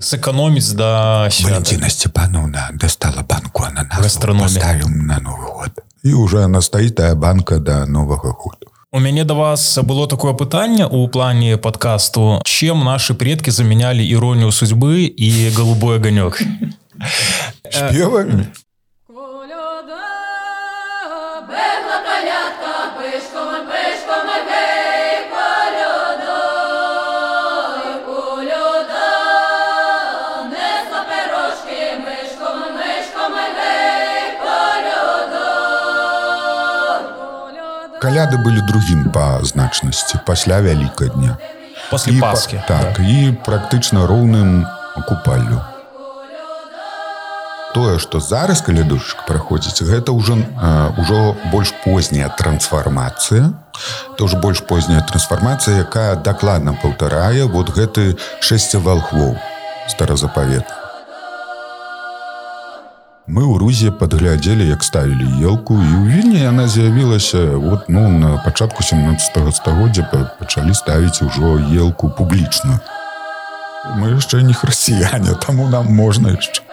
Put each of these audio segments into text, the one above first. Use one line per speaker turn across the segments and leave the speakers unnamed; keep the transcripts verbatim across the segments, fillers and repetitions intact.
сэкономіць да свята.
Валентина Степановна достала банку ананасов, поставила на Новый год. И уже она стоит, тая банка до Нового года.
У мяне да вас было такое пытанне ў плане падкасту. Чем наши предки заменяли иронию судьбы и голубой огонек?
Спевами? Каляды были другим по значности, пасля Великодня.
После
и
Пасхи.
По, так, да. И практично роўным купаллю. Тое, што зараз калядушчык праходзіць, гэта ўжо, а, ўжо больш позняя трансфармацыя. Это ўжо больш позняя трансфармацыя, якая дакладна паўтарае вот гэты шэсце валхвоў старазапаветны. Мы ў Рузе падглядзелі, як ставілі елку, і ў Вільні яна з'явілася вот, ну, на пачатку сямнаццатага стагоддзя пачалі ставіць ужо елку публічную. Мы яшчэ не хрысціяне, таму нам можна яшчэ.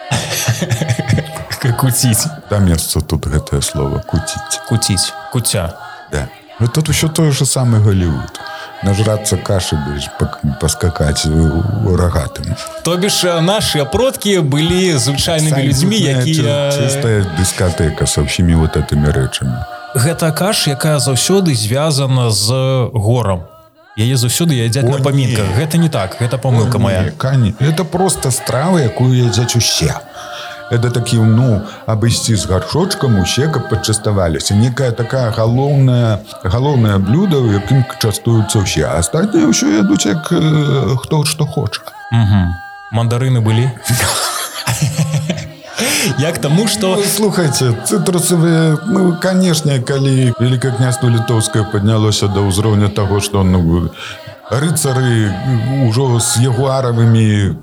Куціць.
Да месца тут гэтае слово куціць.
Куціць, куця.
Да. Вот тут ўсё тое ж самае Голливуд. Нажрацца кашы, паскакаць рагатым.
То бишь, наши продки были звычайнымі людзьмі, якія...
Чистая дискотека со всеми вот этими рэчамі.
Гэта каш, якая заўсёды звязана з горам. Яе заўсёды ядзяць на памінках. Гэта не так, гэта памылка моя.
Не, это просто страва, якую ядзяць усе. Это такі, ну, абысці з гаршочкам усе, каб пачаставаліся. Некая такая галоўная, галоўнае блюдо, якім частуюцца ўсе. А астатнія ўсё ядуць, як э, хто што хоча.
Угу. Мандарыны былі? Як таму, што...
Ну, слухайце, цытрусавыя, ну, канешне, калі Великае княства Літоўскае паднялося да ўзроўня таго, што, ну, рыцары ўжо з ягуаравымі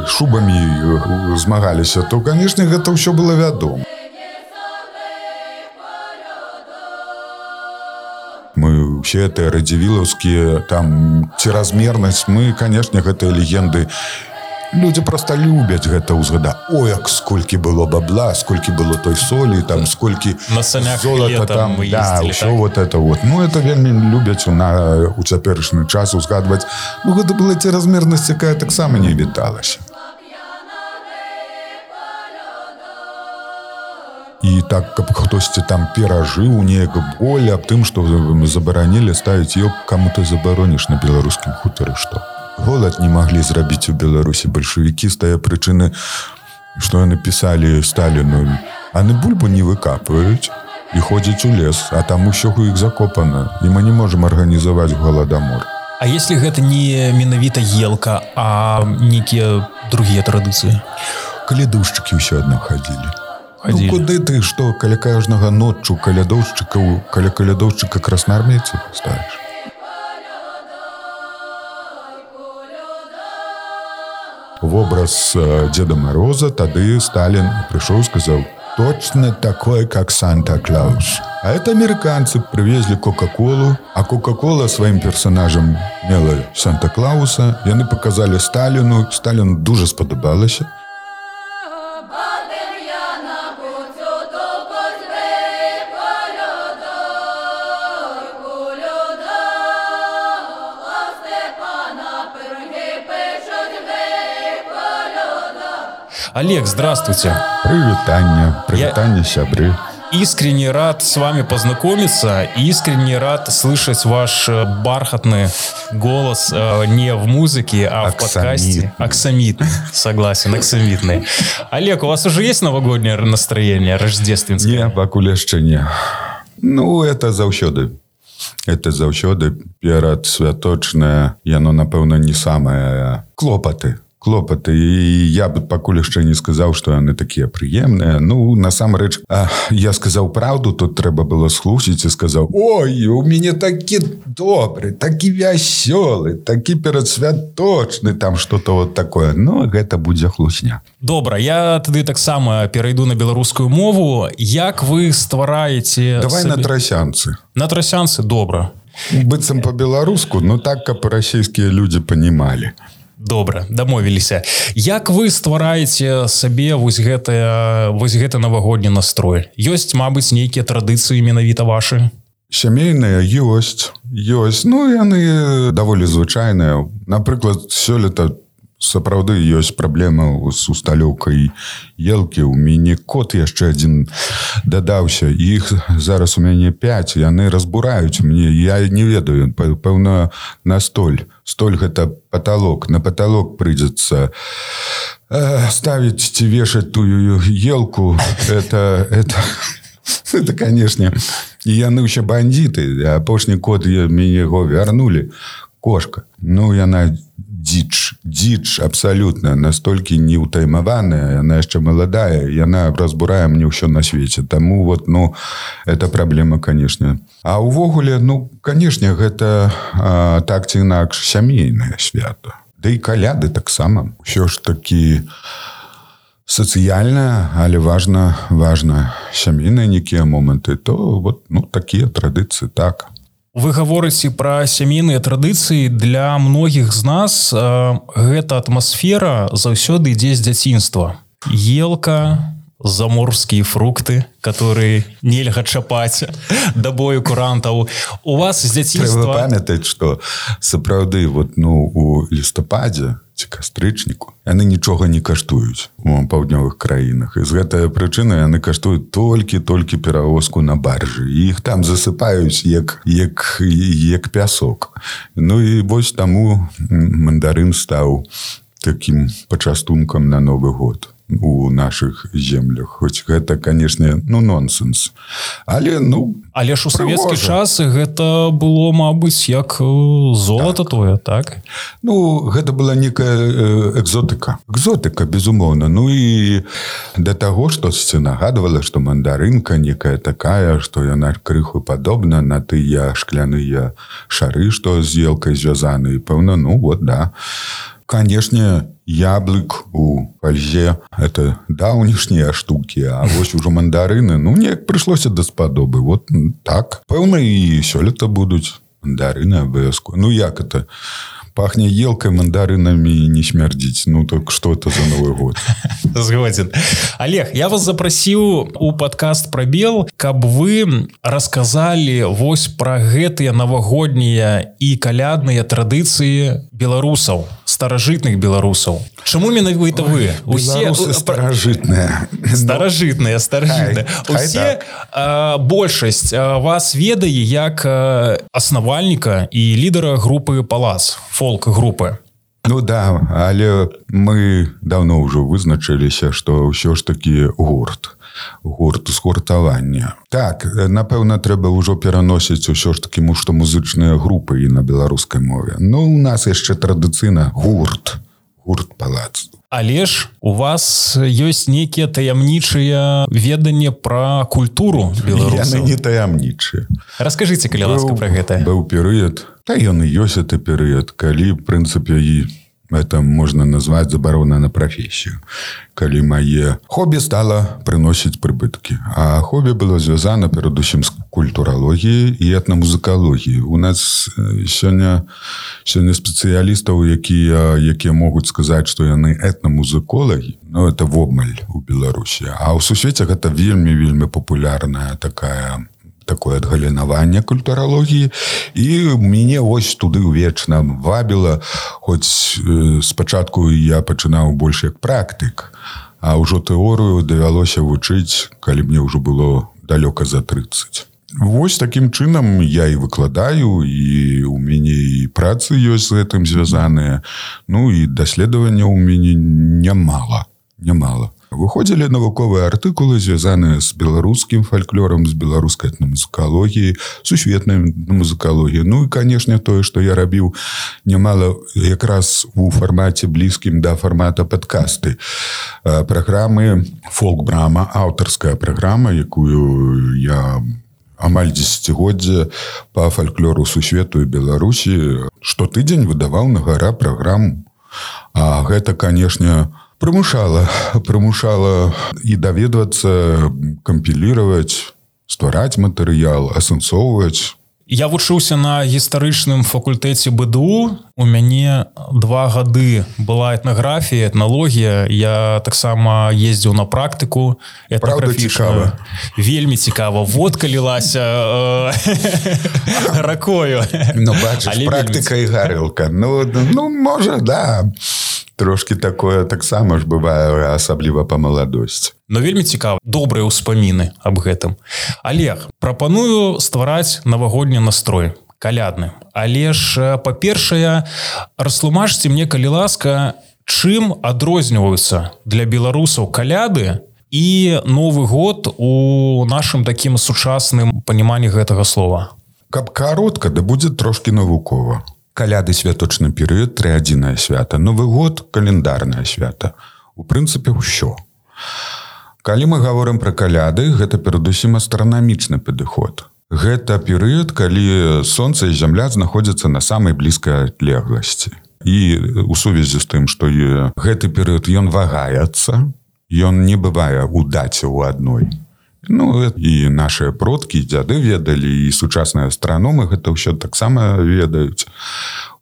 шубамі змагаліся, то, канешне, гэта ўсё было вядома. Мы ўсе гэтыя радзівілаўскія, там, ціразмернасць, мы, канешне, гэтыя легенды, людзі проста любяць гэта ўзгадаць. Ой, як сколькі было бабла, сколькі было той солі, там, сколькі
на санях
золата там,
мы
да,
ездили,
ўсё
так?
вот это вот. Ну, это вельмі любяць на, у цяперашні час узгадваць. Ну, гэта была ціразмернасць, якая таксама не віталася. І так, каб хтосьці там перажыў неяк боль аб тым, што забаранілі ставіць ёк, каму ты забароніш на беларускім хутары, што? Голад не маглі зрабіць у Беларусі бальшавікі з тае прычыны, што яны пісалі Сталіну, а не бульбу не выкапваюць і ходзяць у лес, а там усё у іх закопана, і мы не можам арганізаваць голадамор.
А если гэта не менавіта елка, а нейкія другія традыцыі?
Калядушчыкі ўсё адно хадзілі.
Ходили.
Ну, куды ты, што, каля кожнага ноччу калядоўшчыкаў, каля калядоўшчыка красноармейцаў ставіш? В образ э, Деда Мороза тады Сталин пришел и сказал: точно такой, как Санта-Клаус. А это американцы привезли Кока-Колу, а Кока-Кола своим персонажем мела Санта-Клауса. И они показали Сталину. Сталину дуже сподобалося.
Олег, здравствуйте.
Привитание, привитание, Я... сябры.
Искренне рад с вами познакомиться, искренне рад слышать ваш бархатный голос э, не в музыке, а в подкасте. Аксамитный. Согласен, аксамитный. Олег, у вас уже есть новогоднее настроение, рождественское?
Не, пакуль яшчэ не. Ну, это заўсёды. Это заўсёды перад святочнае, яно, напэўна, не самае клопаты. Клопаты, і я бы пакуль яшчэ не сказаў, што яны такія прыемныя. Ну, насамрэч, я сказаў праўду, тут трэба было слухаць і сказаў: ой, у мяне такі добры, такі вясёлы, такі перадсвяточны, там што-то вот такое. Ну, гэта будзе хлусня.
Добра, я тады таксама перайду на беларускую мову. Як вы ствараеце...
Давай сабе... на трасянцы.
На трасянцы, добра.
Быццам па-беларуску, но так, каб расійскія людзі панімалі.
Добра, дамовіліся. Як вы ствараеце сабе вось гэтае, вось гэты навагодні настрой? Ёсць, мабыць, нейкія традыцыі менавіта вашы?
Сямейныя ёсць, ёсць. Ну, яны даволі звычайныя. Напрыклад, сёлета сапраўды ёсць праблема з усталёўкай елкі. У мяне кот яшчэ адзін дадаўся. Іх зараз у мяне пяць. Яны разбураюць мне. Я не ведаю. Пэўна, на столь. Столь гэта паталок. На паталок прыйдзецца э, ставіць ці вешаць тую елку. Это... это... Это, конечно, и яны ўсе бандиты. Апошні кот мяне яго вярнули. Кошка. Ну, яна дзіч. Дзіч абсолютно. Настолькі неўтаймаваная. Яна яшчэ маладая. Яна разбурае мне ўсё на свеце. Таму вот, ну, это праблема, конечно. А ўвогуле, ну, конечно, гэта а, так ці інакш сямейнае свято. Да і каляды таксама. Усё ж такі... сацыяльна, але важна, важна сямейныя нейкія моманты, то вот, ну, такія традыцыі, так.
Вы гаворыце пра сямейныя традыцыі. Для многіх з нас э, гэта атмасфера заўсёды ідзе з дзяцінства. Елка, заморскія фрукты, которые нельга чапаць да бою курантаў. У вас з дзяцінства...
Трэба памятаць, што сапраўды вот, ну, у лістападзе ці кастрычніку яны нічога не каштуюць у паўднёвых краінах. І з гэтай прычыны яны каштуюць толькі-толькі перавозку на баржы. І іх там засыпаюць як, як, як пясок. Ну і вось таму мандарын стаў такім пачастункам на Новы год у наших землях. Хоць гэта, конечно, ну, нонсенс. Але, ну,
але ж у савецкі час гэта было, мабыць, як золата так. Тое, так?
Ну, гэта была некая экзотыка. Экзотыка, безумоўна. Ну і да таго, што нагадвала, што мандарынка некая такая, што яна крыху падобна на тыя шкляныя шары, што з елкай звязаны. І пэўна, ну, вот, да. Конечно, яблык у фользе – это даўнішнія штуки, а вось ужо мандарыны, ну, неяк прыйшлося даспадобы. Вот так. Пэўна, і сёлета будуць мандарыны абавязково. Ну, як это? Пахне елкой, мандаринами не смердить. Ну, так что это за Новый год?
Згоден. Олег, я вас запросил у подкаст «Пробел», каб вы рассказали вось про гэтыя новогодние и колядные традиции белорусов, старожитных белорусов. Чему менавіта вы?
Белорусы старожитные.
Старожитные, старожитные. Усе, а, большасць а, вас ведае як а, основальніка и лидера группы «Палац», фолк-группы.
Ну да, але мы давно ўжо вызначыліся, што ўсё ж такі гурт. Гурт згуртавання. Так, напэўна, трэба ўжо пераносіць усё ж такі што музычныя групы і на беларускай мове. Ну, у нас яшчэ традыцыйна гурт. Гурт «Палац».
Але ж у вас ёсць нейкія таямнічыя веданні пра культуру беларусаў.
Яны не таямнічыя.
Раскажыце, калі ласка, пра гэта.
Быў перыяд, та ён і ёсць гэты перыяд, калі, в прынцыпе, і это можна назваць забарона на прафесію. Калі мае хобі стала прыносіць прыбыткі. А хобі было звязана перадусім з культуралогіяй і этнамузыкалогіяй. У нас сёння, сёння спецыялістаў, якія, якія могуць сказаць, што яны этнамузыколагі, ну, это вобмаль у Беларусі. А ў сусвеце гэта вельмі-вельмі папулярная такая... такое адгалінаванне культуралогіі, і мяне вось туды вечна вабіла, хоць э, спачатку я пачынаў больш як практык, а ўжо тэорыю давялося вучыць, калі мне ўжо было далёка за трыццаць. Вось такім чынам я і выкладаю, і у мяне і працы ёсць з гэтым звязаныя, ну і даследавання ў мяне нямала, нямала. Выходзілі навуковыя артыкулы, звязаныя з беларускім фальклорам, з беларускай этнамузыкалогіяй, сусветнай музыкалогіяй. Ну і, канешне, тое, што я рабіў нямала якраз у фармаце блізкім да фармата падкасты. Праграмы «Фолк-брама», аўтарская праграма, якую я амаль дзесяцігоддзе па фальклору сусвету і Беларусі штотыдзень выдаваў на гара праграму. А гэта, канешне, Прымушала, прымушала і даведвацца, кампіліраваць, ствараць матэрыял, асэнсоўваць.
Я вучыўся на гістарычным факультэце БДУ. У мяне два гады была этнаграфія, этналогія. Я таксама ездзіў на практыку этнаграфічную. Вельмі цікава. Водка лілася ракою.
Ну, бачыш, практыка і гарэлка. Ну, ну, можа, да. Трошки такое таксама ж бывае, асабліва па маладосці.
Но вельмі цікава, добрыя ўспаміны аб гэтым. Олег, прапаную ствараць навагодні настрой, калядны. Але ж, па-першае, растлумачце мне, калі ласка, чым адрозніваюцца для беларусаў каляды і Новы год у нашым такім сучасным паніманні гэтага слова?
Каб каротка, да будзе трошки навукова. Каляды святочны перыяд, трыадзінае свята. Новы год календарнае свята. У прынцыпе, ўсё. Калі мы гаворым пра каляды, гэта перадусім астранамічны падыход. Гэта перыяд, калі сонца і зямля знаходзяцца на самай блізкай адлегласці. І у сувязі з тым, што гэты перыяд ён вагаецца, ён не бывае у даце ў адной. Ну, і нашыя продкі, дзяды ведалі, і сучасныя астраномы гэта ўсё таксама ведаюць.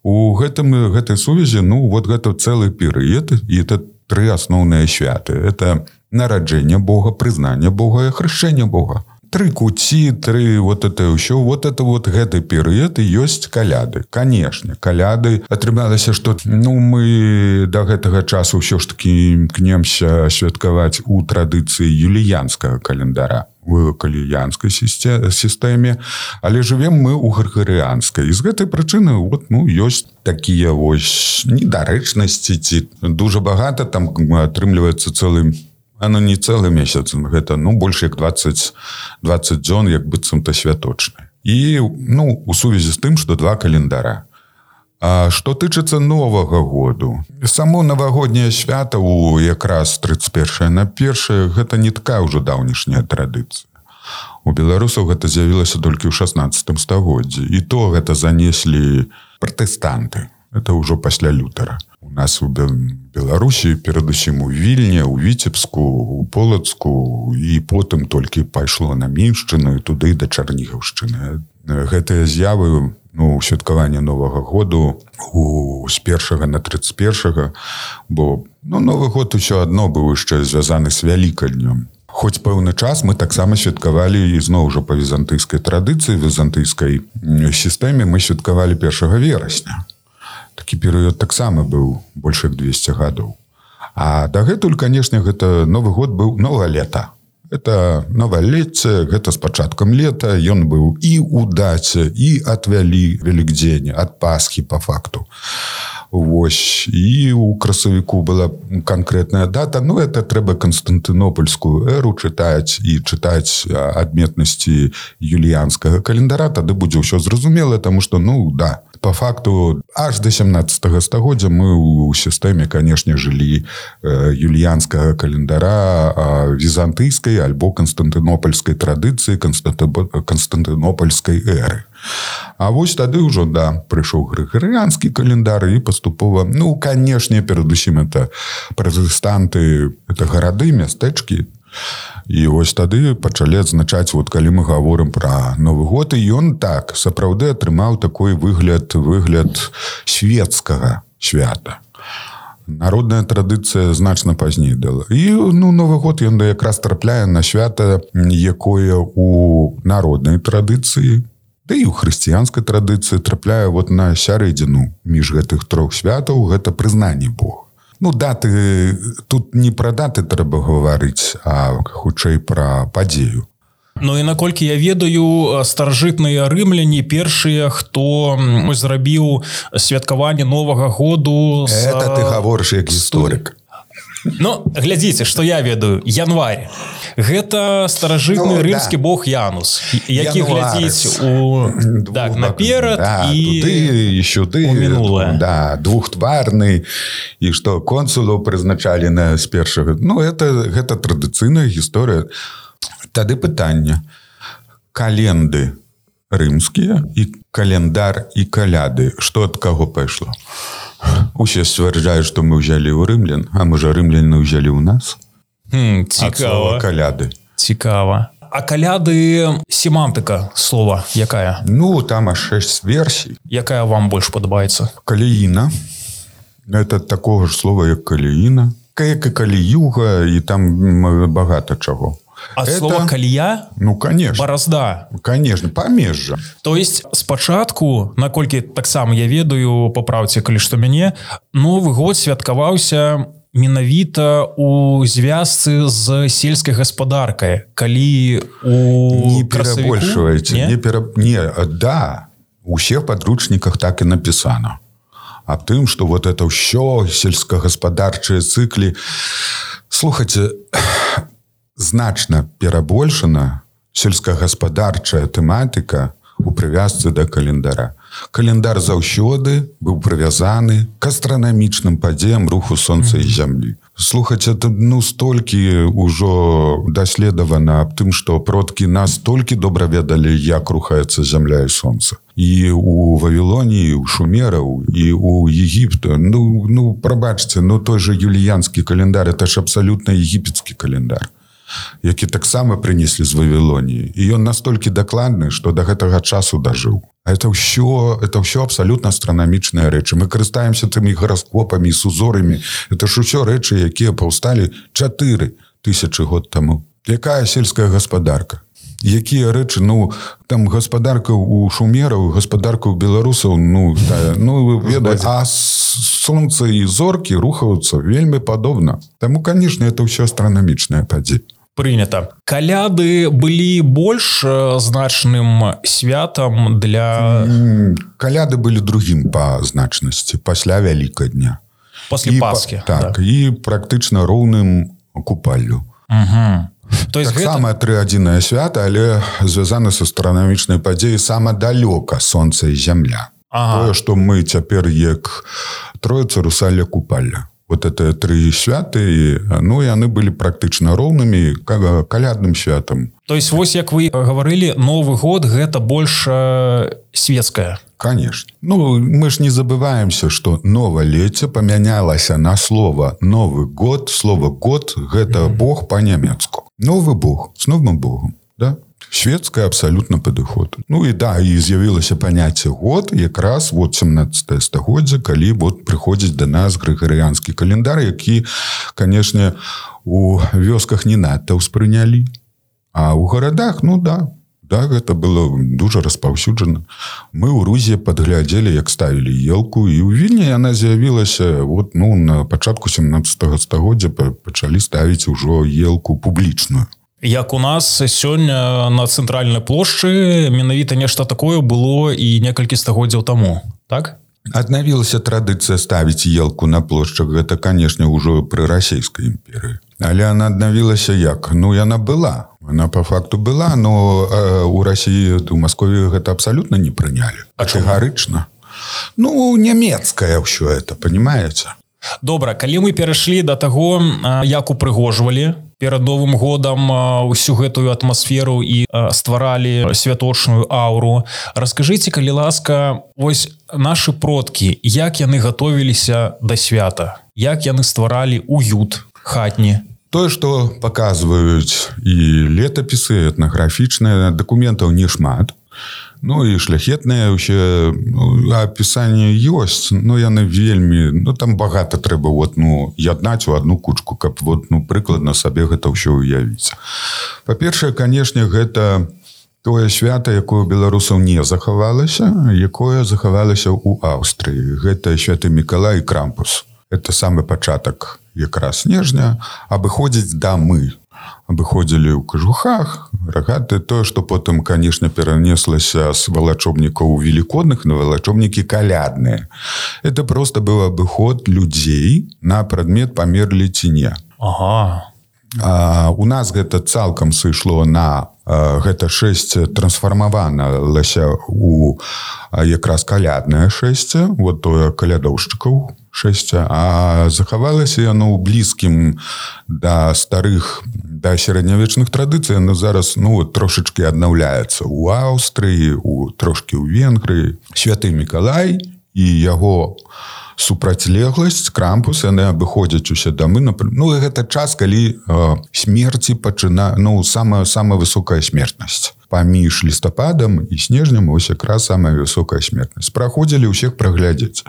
У гэтым, гэтай сувязі, ну, вот гэта цэлы перыяд, і это тры асноўныя святы. Это нараджэнне Бога, прызнанне Бога і хрышчэнне Бога. Тры куці, тры вот это ўсё, вот это вот гэты перыяд і ёсць каляды. Канешне, каляды атрымалася, што ну, мы да гэтага часу ўсё ж такі імкнемся святкаваць у традыцыі юліянскага календара, у каліянскай сістэме, але жывем мы ў грыгарыанскай. І з гэтай прычыны вот, ну, ёсць такія вось недарэчнасці, ці дуже багата там атрымліваецца цэлым. Оно не цэлы месяц, гэта, ну, больш як двадцать, двадцать дзён, як быццам-то святочны. І, ну, у сувязі з тым, што два календара. А што тычыцца Новага году, само навагодняе свята у якраз тридцать першае на першае, гэта не такая ўжо даўнішняя традыцыя. У беларусаў гэта з'явілася толькі ў шаснаццатым стагоддзі. І то гэта занеслі пратэстанты. Это ўжо пасля Лютера. У нас у Беларусі, перадусім у Вільні, у Віцебску, у Полацку, і потым толькі пайшло на Міншчыну і туды да Чарнігаўшчыны. Гэтыя з'явы, ну, святкаванне Новага году у, з першага на тридцать першага, бо ну, Новы год усё адно быў яшчэ звязаны з Вялікаднём. Хоць пэўны час мы таксама святкавалі ізноў ужо па візантыйскай традыцыі, візантыйскай сістэме мы святкавалі першага верасня. Такі перыяд таксама быў больш як двести гадоў. А дагэтуль, канешне, гэта Новы год быў новае лета. Это новалетце, гэта з пачаткам лета, ён быў і ў даце, і ад вялі Велікдзень, ад Пасхі па факту. Вось, і ў красавіку была канкрэтная дата, ну, это трэба Канстантынопольскую эру чытаць і чытаць адметнасці юліянскага календара, тады будзе ўсё зразумела, таму што, ну, да, по факту, аж до семнадцатага стагоддзя мы ў сістэме, канешне, жылі э, юліянскага календара э, візантыйскай альбо канстантынопольскай традыцыі, канстантынопольскай эры. А вось тады ўжо, да, прыйшоў грыгарыанскі календар і паступова, ну, канешне, перадусім это пратэстанты, это гарады, мястэчкі. І вось тады пачалі адзначаць, вот калі мы гаворым пра Новы год, і ён так сапраўды атрымаў такой выгляд, выгляд светскага свята. Народная традыцыя значна пазней дала. І, ну, Новы год ён якраз трапляе на свята, якое у народнай традыцыі, да і ў хрысціянскай традыцыі трапляе вот на сярэдзіну між гэтых трох святаў, гэта прызнанне Бога. Ну, даты, тут не пра даты трэба гаварыць, а хутчэй пра падзею.
Ну і наколькі я ведаю, старажытныя рымляне першыя, хто зрабіў святкаванне Новага году... З...
Это ты гаворыш як гісторык.
Ну, глядзіце, што я ведаю, январь. Гэта старажытны ну, рымскі да. бог Янус, які глядзіць у... так, наперад
да,
і
туды, і сюды,
у мінулае.
Да, двухтварны, і што консулаў прызначалі на з першага. Ну, это, гэта традыцыйная гісторыя. Тады пытанне. Календы рымскія і календар і каляды. Што ад каго пайшло? Усе сцвярджаюць, што мы ўзялі ў рымлян, а можа рымляне ўзялі ў нас?
Хм, цікава.
Ад слова каляды.
Цікава. А каляды семантыка слова якая?
Ну, там аж шесть версій.
Якая вам больш падабаецца?
Каліїна. Это такого ж слова, як каліїна. Як і каліюга, і там багато чого.
А
это...
слово калія?
Ну, конечно.
Баразда.
Конечно, памежжа.
То есть спачатку, наколькі таксама я ведаю, папраўце, калі што мяне, Новы год святкаваўся менавіта у звязцы з сельскай гаспадаркай, калі у
не перабольшваеце, не? Не, пера... не, да, у всех подручниках так и написано. Аб тым, что вот это ўсё сельскагаспадарчыя цыклі, слухайте, значна перабольшана сельскагаспадарчая тэматыка у прывязцы да календара. Календар заўсёды быў прывязаны к астранамічным падзеям руху сонца і зямлі. Слухаць, это ну столькі ўжо даследавана аб тым, што продкі настолькі добра ведалі, як рухаецца зямля і сонца. І у Вавілоніі, у шумераў, і у Егіпта. Ну, ну прабачце, ну той же юліянскі календар, это ж абсалютна егіпецкі календар, які таксама прынеслі з Вавілоніі. І ён настолькі дакладны, што да гэтага часу дажыў. А это ўсё, это ўсё абсалютна астранамічныя рэчы. Мы карыстаемся тымі гараскопамі, сузорамі. Это ж усё рэчы, якія паўсталі чатыры тысячы год таму. Якая сельская гаспадарка? Якія рэчы, ну, там гаспадарка у шумераў, гаспадарка ў беларусаў, ну, да, ну, ведае, а сонца і зоркі рухаюцца вельмі падобна. Таму, канешне, это ўсё астранамічныя падзеі.
Прынята. Каляды былі больш значным святам для...
Каляды былі другім па значнасці, пасля Вялікадня.
Пасля Пасхі.
Так, да. І практычна роўным купаллю.
Угу. То есть
так
гэта...
само трыадзінае свята, але звязана з астранамічнай падзеяй сама далёка сонца і зямля. Ага. Тое, што мы цяпер як Троіца, Русалля, Купалля. Вот это тры святы, ну, яны былі практычна роўнымі калядным святам.
То есть, вось як вы гаварылі, Новы год гэта больш светская.
Конечно. Ну, мы ж не забываемся, што новалецце памянялася на слова Новы год. Слово год гэта mm-hmm. Бог па-нямецку. Новы Бог з новым Богом, да? Шведская абсолютно падыход. Ну і да, і з'явілася паняцце год якраз вот семнадцатае стагоддзе, калі вот прыходзіць да нас грыгарыянскі календар, які, канешне, у вёсках не надта ўспрынялі. А ў гарадах, ну да, да, гэта было дужа распаўсюджана. Мы ў Рузе падглядзелі, як ставілі елку, і ў Вільні яна з'явілася вот, ну, на пачатку семнадцатага стагоддзя пачалі ставіць ужо елку публічную.
Як у нас сёння на цэнтральнай плошчы менавіта нешта такое было і некалькі стагоддзяў таму, так?
Аднавілася традыцыя ставіць елку на плошчах, гэта, канешне, ўжо пры расійскай імперыі. Але яна аднавілася як? Ну, яна была. Она по факту была, но э, у Расіі, у Маскові гэта абсалютна не прынялі. Катэгарычна. Ну, нямецкае ўсё это, понимаете?
Добра, калі мы перайшлі да таго, як упрыгожвалі перад Новым годам усю гэтую атмасферу і стваралі святочную ауру, раскажыце, калі ласка, вось нашы продкі, як яны гатовіліся да свята, як яны стваралі уют хатні?
Тое, што паказваюць і летапісы, этнаграфічныя, дакументаў не шмат. Ну і шляхетныя ўсе ну, апісанні ёсць, но яны вельмі, ну там багата трэба вот, ну, яднаць у одну кучку, каб вот, ну, прыкладна сабе гэта ўсё уявіць. Па-першае, канешне, гэта тое свята, якое у беларусаў не захавалася, якое захавалася ў Аўстрыі. Гэта святы Мікалай і Крампус. Это самы пачатак якраз снежня, абыходзіць дамы. Абыходзілі ў кажухах, рагаты, тое, што потым, канешне, перанеслася з валачобнікаў велікодных на валачобнікі калядныя. Это просто быў абыход людзей на прадмет памерлі ці не.
Ага.
А, у нас гэта цалкам сышло на а, гэта шэсце трансфармавалася у а, якраз каляднае шэсце, вот тое калядоўшчыкаў шэсце, а захавалася яно ў блізкім да старых, да сярэднявечных традыцый, яно зараз, ну, трошачкі аднаўляецца ў Аўстрыі, у, трошкі ў Венгрыі. Святы Мікалай і яго супрацьлегласць, Крампус, яны абыходзяць усе дамы. Ну, гэта час, калі э, смерці пачына... Ну, самая, самая высокая смертнасць. Паміж лістападам і снежнем ось якраз самая высокая смертнасць. Праходзілі ўсіх праглядзець.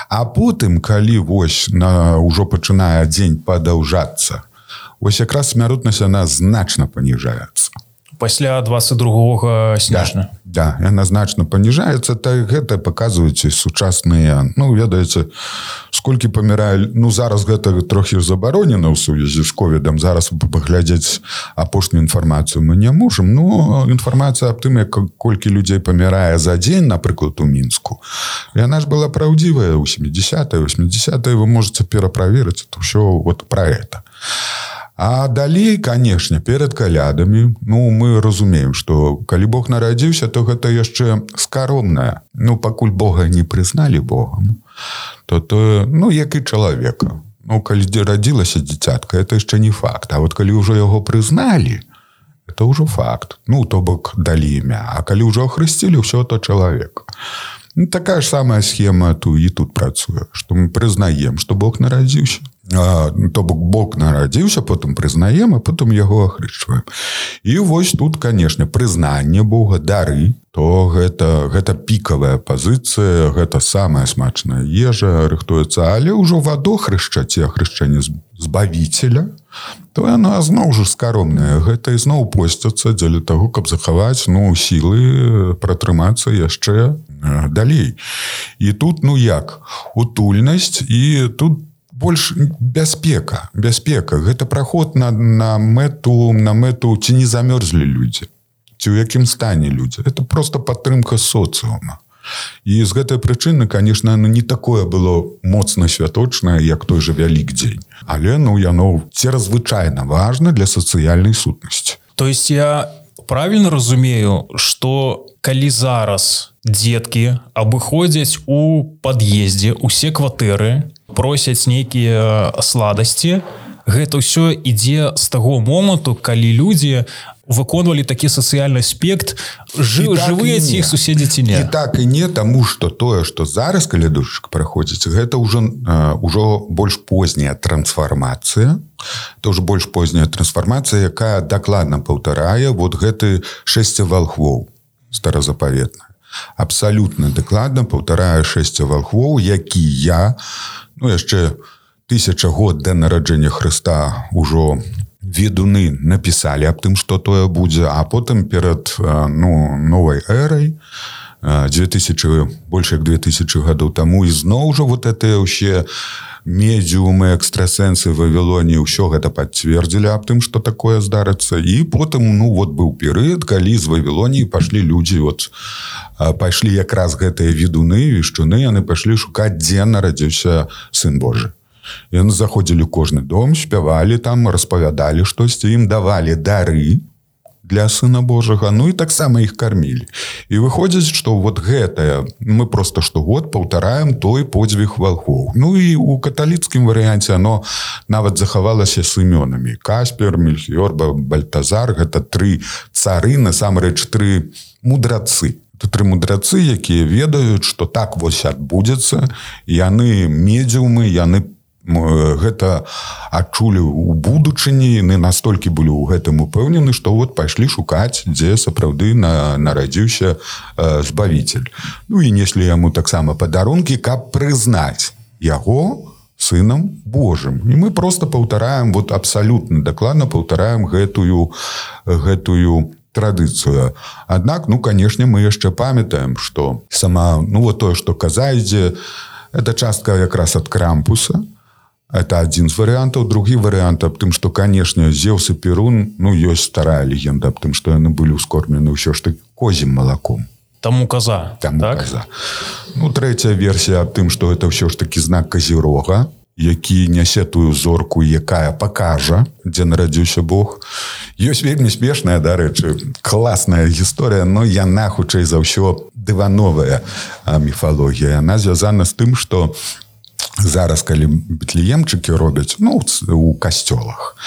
А потым, калі вось на, ўжо пачынае дзень падаўжацца, ось якраз смяротнасць, яна значна паніжаецца.
Пасля двадцать другога снежня.
Да, да, яна значна паніжаецца. Так гэта паказваюць сучасныя, ну, ведаеце, сколькі памірае, ну, зараз гэта трохі забаронена ў сувязі з ковідам. Зараз паглядзець апошнюю інфармацыю мы не можам, но інфармацыя аб тым, як колькі людзей памірае за дзень, напрыклад, у Мінску, яна ж была праўдзівая ў семидесятые, восьмидесятые, вы можете пераправерыць, это ўсё вот пра гэта. А далей, канешне, перад калядамі, ну, мы разумеем, што калі Бог нарадзіўся, то гэта яшчэ скаромнае. Ну, пакуль Бога не прызналі Богам, то то, ну, як і чалавека. Ну, калі радзілася дзіцятка, это яшчэ не факт. А вот калі ўжо яго прызналі, это ўжо факт. Ну, то бок далі імя. А калі ўжо ахрысцілі, ўсё то чалавек. Ну, такая ж самая схема ту і тут працуе, што мы прызнаем, што Бог нарадзіўся. А, то бок Бог нарадзіўся, потым прызнаем, а потым яго ахрышчваем. І вось тут, канешне, прызнанне Бога, дары, то гэта, гэта пікавая пазіцыя, гэта самая смачная ежа рыхтуецца, але ўжо ваду хрышчаць і ахрышчанне збавіцеля, то яна зноў жа скаромная. Гэта ізноў посцяцца дзеля таго, каб захаваць, ну, сілы пратрымацца яшчэ далей. І тут, ну як, утульнасць, і тут больш бяспека, бяспека. Гэта праход на, на мэту, на мэту, ці не замёрзлі людзі, ці ў якім стане людзі. Это просто падтрымка соцыума. І з гэтай прычыны, конечно, не такое было моцна святочнае, як той же Вялікдзень. Але, ну, яно церазвычайна важна для сацыяльнай сутнасці.
То есть я правильно разумею, што калі зараз дзеткі абыходзяць у пад'ездзе усе кватэры, просяць нейкія сладасці, гэта ўсё ідзе з таго моманту, калі людзі выконвалі такі сацыяльны аспект, жы, так жывыя ці іх суседзі ці не.
І так і не, таму што тое, што зараз калядушак праходзіць, гэта ўжо, ўжо больш позняя трансфармацыя, то ўжо больш позняя трансфармацыя, якая дакладна паўтарае вот гэты шэсце валхвоў старазапаветнае. Абсалютна дакладна паўтарае шэсце валхвоў, якія, ну, яшчэ тысяча год да нараджэння Хрыста ўжо ведуны напісалі аб тым, што тое будзе, а потым перад, ну, новай эрай, дзве тысячы, больш як две тысячы гадоў таму, ізноў жа вот гэтыя ўсе медіумы, экстрасэнсы в Вавілоне, ўсё гэта пацвердзілі аб тым, што такое здарыцца. І потым, ну, вот быў перыяд, калі з Вавілоніі пашлі людзі, вот, пайшлі якраз гэтыя ведуны, вешчуны, яны пашлі шукаць, дзе нарадзіўся Сын Божы. Яны заходзілі ў кожны дом, спявалі там, распавядалі штосьці, ім давалі дары для Сына Божага, ну і таксама іх кармілі. І выходзіць, што вот гэтае, мы просто штогод паўтараем той подзвіг валхоў. Ну і у каталіцкім варыянце оно нават захавалася з імёнамі. Каспер, Мельхіор, Бальтазар, гэта тры цары, насамрэч тры мудрацы. Это тры мудрацы, якія ведаюць, што так вось адбудзецца, яны медіумы, яны гэта адчулі ў будучыні, яны настолькі былі ў гэтым упэўнены, што вот пайшлі шукаць, дзе сапраўды на, нарадзіўся э, збавіцель. Ну і неслі яму таксама падарункі, каб прызнаць яго Сынам Божым. І мы просто паўтараем, вот абсалютна дакладна паўтараем гэтую, гэтую традыцыю. Аднак, ну, канешне, мы яшчэ памятаем, што сама, ну, вот тое, што казаеце, это частка якраз ад Крампуса. Это адзін з варыянтаў. Другі варыянт аб тым, што, канешне, Зеўс і Перун, ну, ёсць старая легенда аб тым, што яны былі ўскормлены ўсё ж таки козім малаком.
Таму коза,
Таму
так?
Коза. Ну, трэцяя версія аб тым, што гэта ўсё ж таки знак Казірога, які нясе тую зорку, якая пакажа, дзе нарадзіўся Бог. Ёсць вельмі смешная, дарэчы, класная гісторыя, но яна, хутчэй за ўсё, дывановая міфалогія. Яна звязана з тым, што зараз, калі бетлеемчыкі робяць, ну, у касцёлах,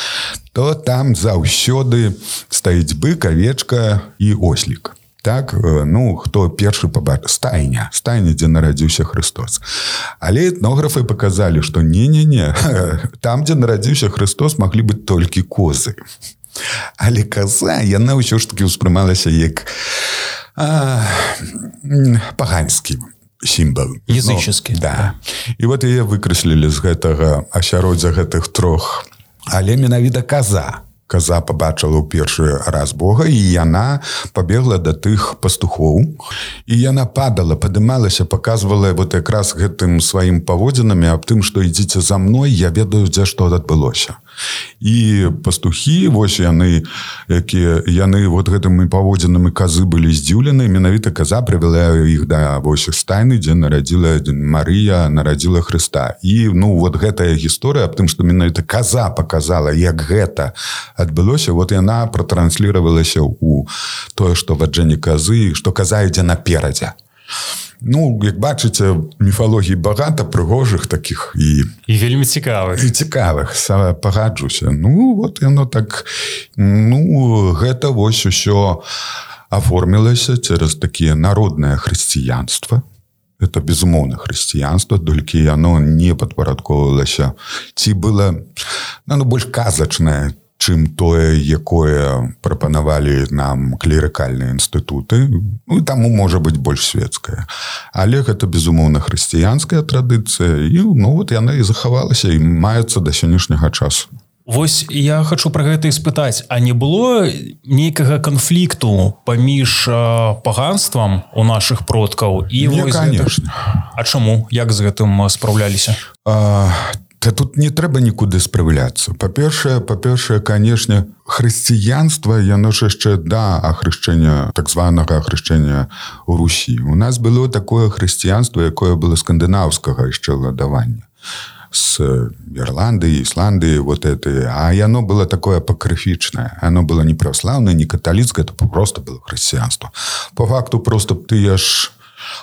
то там заўсёды стаіць бык, авечка і ослік. так, ну, хто першы пабачыў, стайня, стайня, дзе нарадзіўся Христос. Але этнографы паказалі, што не-не-не, там, дзе нарадзіўся Христос, маглі быць толькі козы. Але коза, яна ўсё ж таки ўспрымалася як а, паганскі сімвал.
Языческі.
Ну, да. І вот яе выкраслілі з гэтага асяроддзя гэтых трох. Але менавіта коза. Коза пабачыла ў першы раз Бога, і яна пабегла да тых пастухоў. І яна падала, падымалася, паказвала вот якраз гэтым сваім паводзінамі аб тым, што ідзіце за мной, я ведаю, дзе што адбылося. І пастухі, вось яны, якія, яны вот гэтымі паводзінамі козы былі здзіўлены, менавіта коза прывяла іх да вось стайны, дзе нарадзіла Марыя, нарадзіла Хрыста. І, ну, вот гэтая гісторыя аб тым, што менавіта коза паказала, як гэта адбылося, вот яна пратрансліравалася ў тое, што ваджэнне козы, што коза ідзе наперадзе. Ну, як бачыце, міфалогій багата прыгожых такіх і...
І вельмі цікавых.
І цікавых, пагаджуся. Ну, вот яно так... Ну, гэта вось усё аформілася цераз такія народнае хрысціянства. Это, безумоўна, хрысціянства, толькі яно не падпарадковвалася. Ці было, ну, больш казачнае, чым тое, якое прапанавалі нам клерыкальныя інстытуты. Ну, і таму можа быць больш светская. Але гэта, безумоўна, хрысціянская традыцыя. І, ну, вот яна і захавалася, і маецца да сённяшняга часу.
Вось я хочу пра гэта і спытаць, а не было нейкага канфлікту паміж паганствам у нашых продкаў? І
не, конечно.
Гэта... А чаму? Як з гэтым спраўляліся?
А... Та тут не трэба нікуды спраўляцца. Па-першае, па-першае, канешне, хрысціянства, яно ж яшчэ да ахрышчэння, так званага ахрышчэння ў Русі. У нас было такое хрысціянства, якое было скандынаўскага яшчэ ладавання. З Ірландыі, Ісландыі, вот это. А яно было такое апакрыфічнае. Оно было не праваслаўнае, не каталіцкае, это просто было хрысціянство. По факту просто тыя ж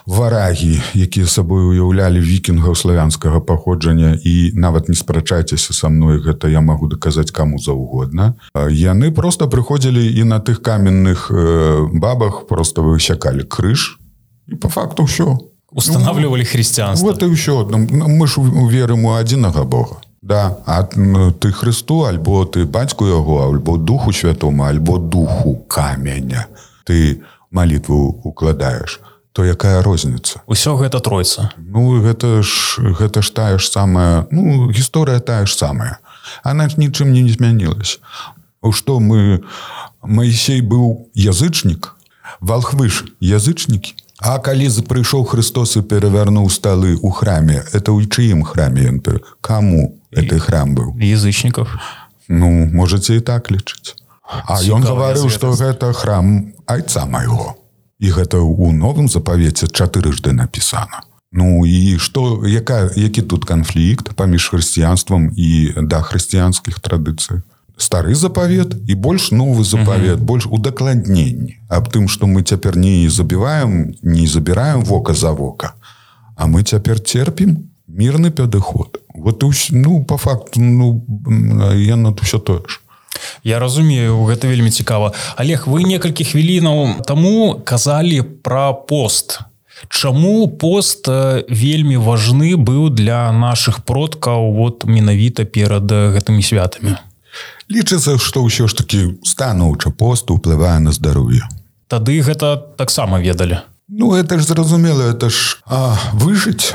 варагі, якія сабой уяўлялі вікінгаў славянскага паходжання, і нават не спрачайцеся са мной, гэта я магу даказаць каму заўгодна. Яны просто прыходзілі і на тых каменных бабах просто высякалі крыж, і по факту ўсё.
Устанавливали хрысціянство.
Вот і ўсё. Мы ж верым у адзінага Бога. Да, а ты Христу, альбо ты бацьку яго, альбо Духу Святому, альбо Духу каменя. Ты малітву укладаеш. То якая розніца?
Усё гэта тройца.
Ну, гэта ж, гэта ж тая ж самая, ну, гісторыя тая ж самая. Она ж нічым не змянілася. Што мы, Маісей быў язычнік, валхвы ж язычнікі. А калі прыйшоў Христос і перавярнуў сталы ў храме, это ў чыім храме ён перавярнуў? Каму гэты храм быў?
Язычнікаў.
Ну, можаце і так лічыць. А ён гаварыў, што гэта храм айца майго. І гэта ў новым запавеце чатырыжды напісана. Ну і што, яка, які тут канфлікт паміж хрысціянствам і дахрысціянскіх традыцый? Стары запавет і больш новы запавет, uh-huh. больш удакладненні аб тым, што мы цяпер не забіваем, не забіраем вока за вока, а мы цяпер церпім мірны падыход. Вот, ну, па факту, ну, яно ўсё тое ж.
Я разумею, гэта вельмі цікава. Олег, вы некалькі хвілінаў таму казалі пра пост. Чаму пост вельмі важны быў для нашых продкаў вот менавіта перад гэтымі святамі?
Лічыцца, што ўсё ж такі станоўча пост уплывае на здароўе.
Тады гэта таксама ведалі.
Ну, это ж зразумела, это ж а, выжыць.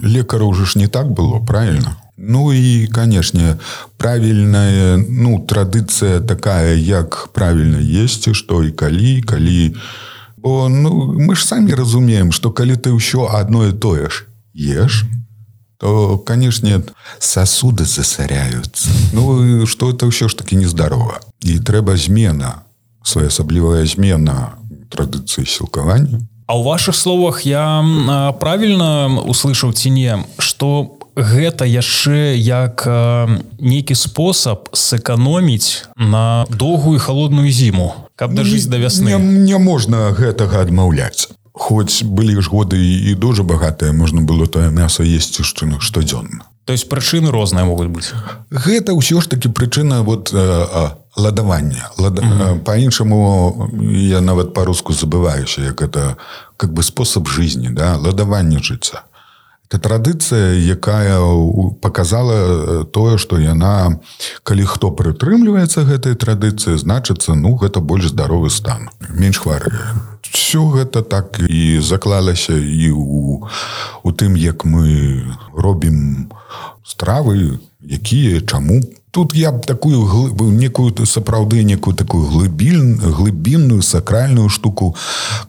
Лекару ўжо ж не так было, правильно? Ну і, канешне, правільная, ну, традыцыя такая, як правільна есці, што і калі, калі... Бо, ну, мы ж самі разумеем, што калі ты ўсё адно і тое ж еш, то, канешне, сасуды засаряюцца. Ну, што это ўсё ж такі нездарова. І трэба змена, своеасаблівая змена традыцыі сілкавання.
А ў вашых словах я правільна услышаў ці не, што гэта яшчэ як нейкі спосаб сэканоміць на доўгую халодную зіму, каб дажыць да вясны.
Не, не можна гэтага адмаўляць. Хоць былі ж годы і дуже багатыя, можна было тое мяса есці штодзённа.
То есть прычыны розныя могуць быць?
Гэта ўсё ж такі прычына вот, а, ладаванне. Лад... Mm-hmm. По-іншаму я нават по-руску забываюся, як это как бы спосаб жизни, да? Ладаванне жыцця. Это традыцыя, якая показала тое, што яна, калі хто прытрымліваецца гэтай традыцыі, значыцца, ну, гэта больш здаровы стан, менш хварэе. Все гэта так і заклалася і у, у тым, як мы робім стравы, якія, чаму. Тут я б такую некую сапраўды некую такую глыбінную сакральную штуку,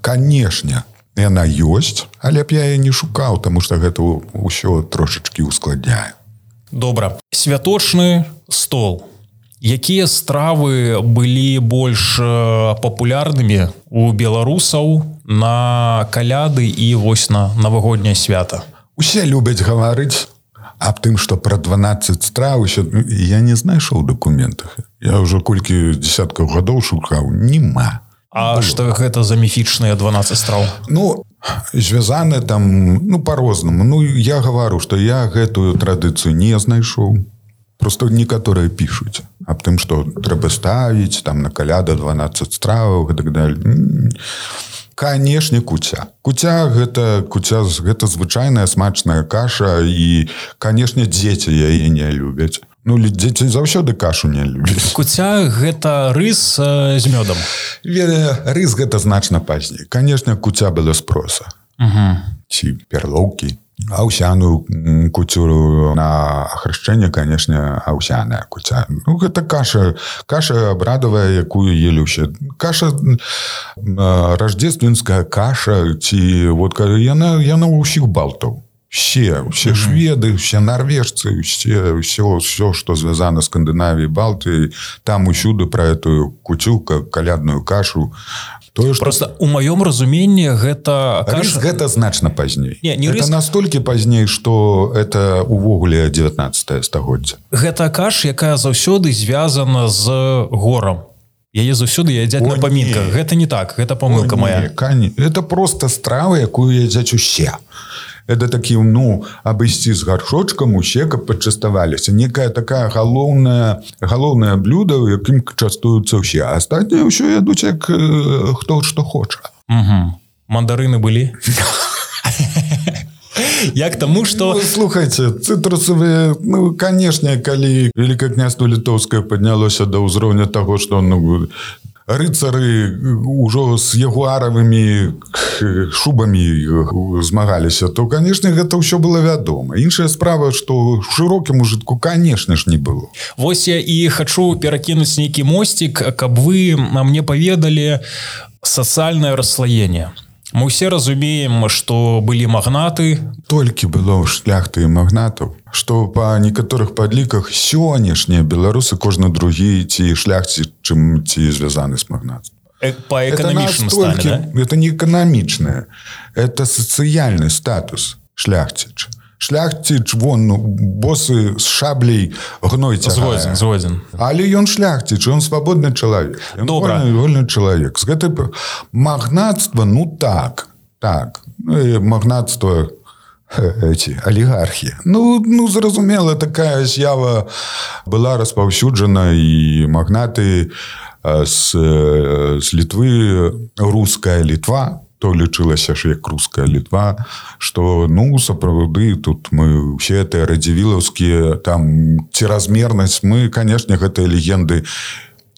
канешне, яна ёсць, але б я яе не шукаў, таму што гэта ўсё трошачкі ускладняе.
Добра. Святочны стол. Якія стравы былі больш папулярнымі у беларусаў на каляды і вось на навагодняе свята?
Усе любяць гаварыць аб тым, што пра дванаццаць страў еще я не знайшоў у дакументах. Я ўжо колькі дзесяткаў гадоў шукаў, нема.
А што гэта за міфічныя дванаццаць страў?
Ну, звязаны там, ну, по-рознаму. Ну, я гавару, што я гэтую традыцыю не знайшоў. Просто некаторыя пішуць аб тым, што трэба ставіць там на каляда дванаццаць страваў і так далее. Канешне, куця. Куця гэта, куця, гэта звычайная смачная каша і, канешне, дзеці яе не любяць. Ну, дзеці заўсёды кашу не любяць.
Куця гэта рыс з мёдам.
Рыс гэта значна пазней. Канешне, куця была спроса.
Угу.
Ці перлоўкі. Аўсяную куцю на ахрышчэнне, канешне, аўсяная куця. Ну, гэта каша, каша абрадавая, якую елі ўсе. Каша, рождественская каша, ці вот яна, яна ў усіх балтаў. Все, все шведы, все норвежцы, все, все, все, что связано с Скандинавией, Балтией, там усюды про эту куцю, калядную кашу. То, что...
Просто у маём разуменні гэта каша...
Рыс гэта значна пазней.
Не, не
это
рыс...
настолькі пазней, што это увогуле дзевятнаццатае стагоддзе.
Гэта каша, якая заўсёды звязана з горам. Яе заўсёды ядзяць на памінках. Гэта не так, гэта памылка моя.
Это просто страва, якую ядзяць усе. Это такі, ну, абысці з гаршочкам усе, каб пачаставаліся. Некая такая галоўная, галоўнае блюдо, якім частуюцца ўсе. А астатнія ўсё ядуць, як э, хто што хоча.
Угу. Мандарыны былі? Як таму, што...
Ну, слухайце, цытрусавыя, ну, канешне, калі Великае княства Літоўскае паднялося да ўзроўня таго, што, ну, рыцары ўжо з ягуаравымі шубамі змагаліся, то, канешне, гэта ўсё было вядома. Іншая справа, што шырокім ужытку, канешне ж, не было.
Вось я і хачу перакінуць нейкі мосцік, каб вы мне паведалі сацыяльнае расслаенне. Мы ўсе разумеем, што былі магнаты.
Толькі было шляхты і магнатаў, што па некаторых падліках сённяшнія беларусы кожны другі ці шляхці, чым ці звязаны з магнатством.
Э, па эканамічным стане, да?
Это не эканамічнае, это сацыяльны статус шляхціч. Шляхціч, вон, босы з шаблей гной цягае.
Згодзін, згодзін.
Але ён шляхціч, ён свабодны чалавек. Ён
Добра.
вольны, вольны чалавек. З гэтай магнатства, ну так, так. Магнатства, эти, олігархі. Ну, ну, зразумела, такая з'ява была распаўсюджана, і магнаты з, з Літвы, руская Літва, то лічылася ж як руская Літва, што, ну, сапраўды, тут мы ўсе гэтыя радзівілаўскія, там, ціразмернасць, мы, канешне, гэтыя легенды,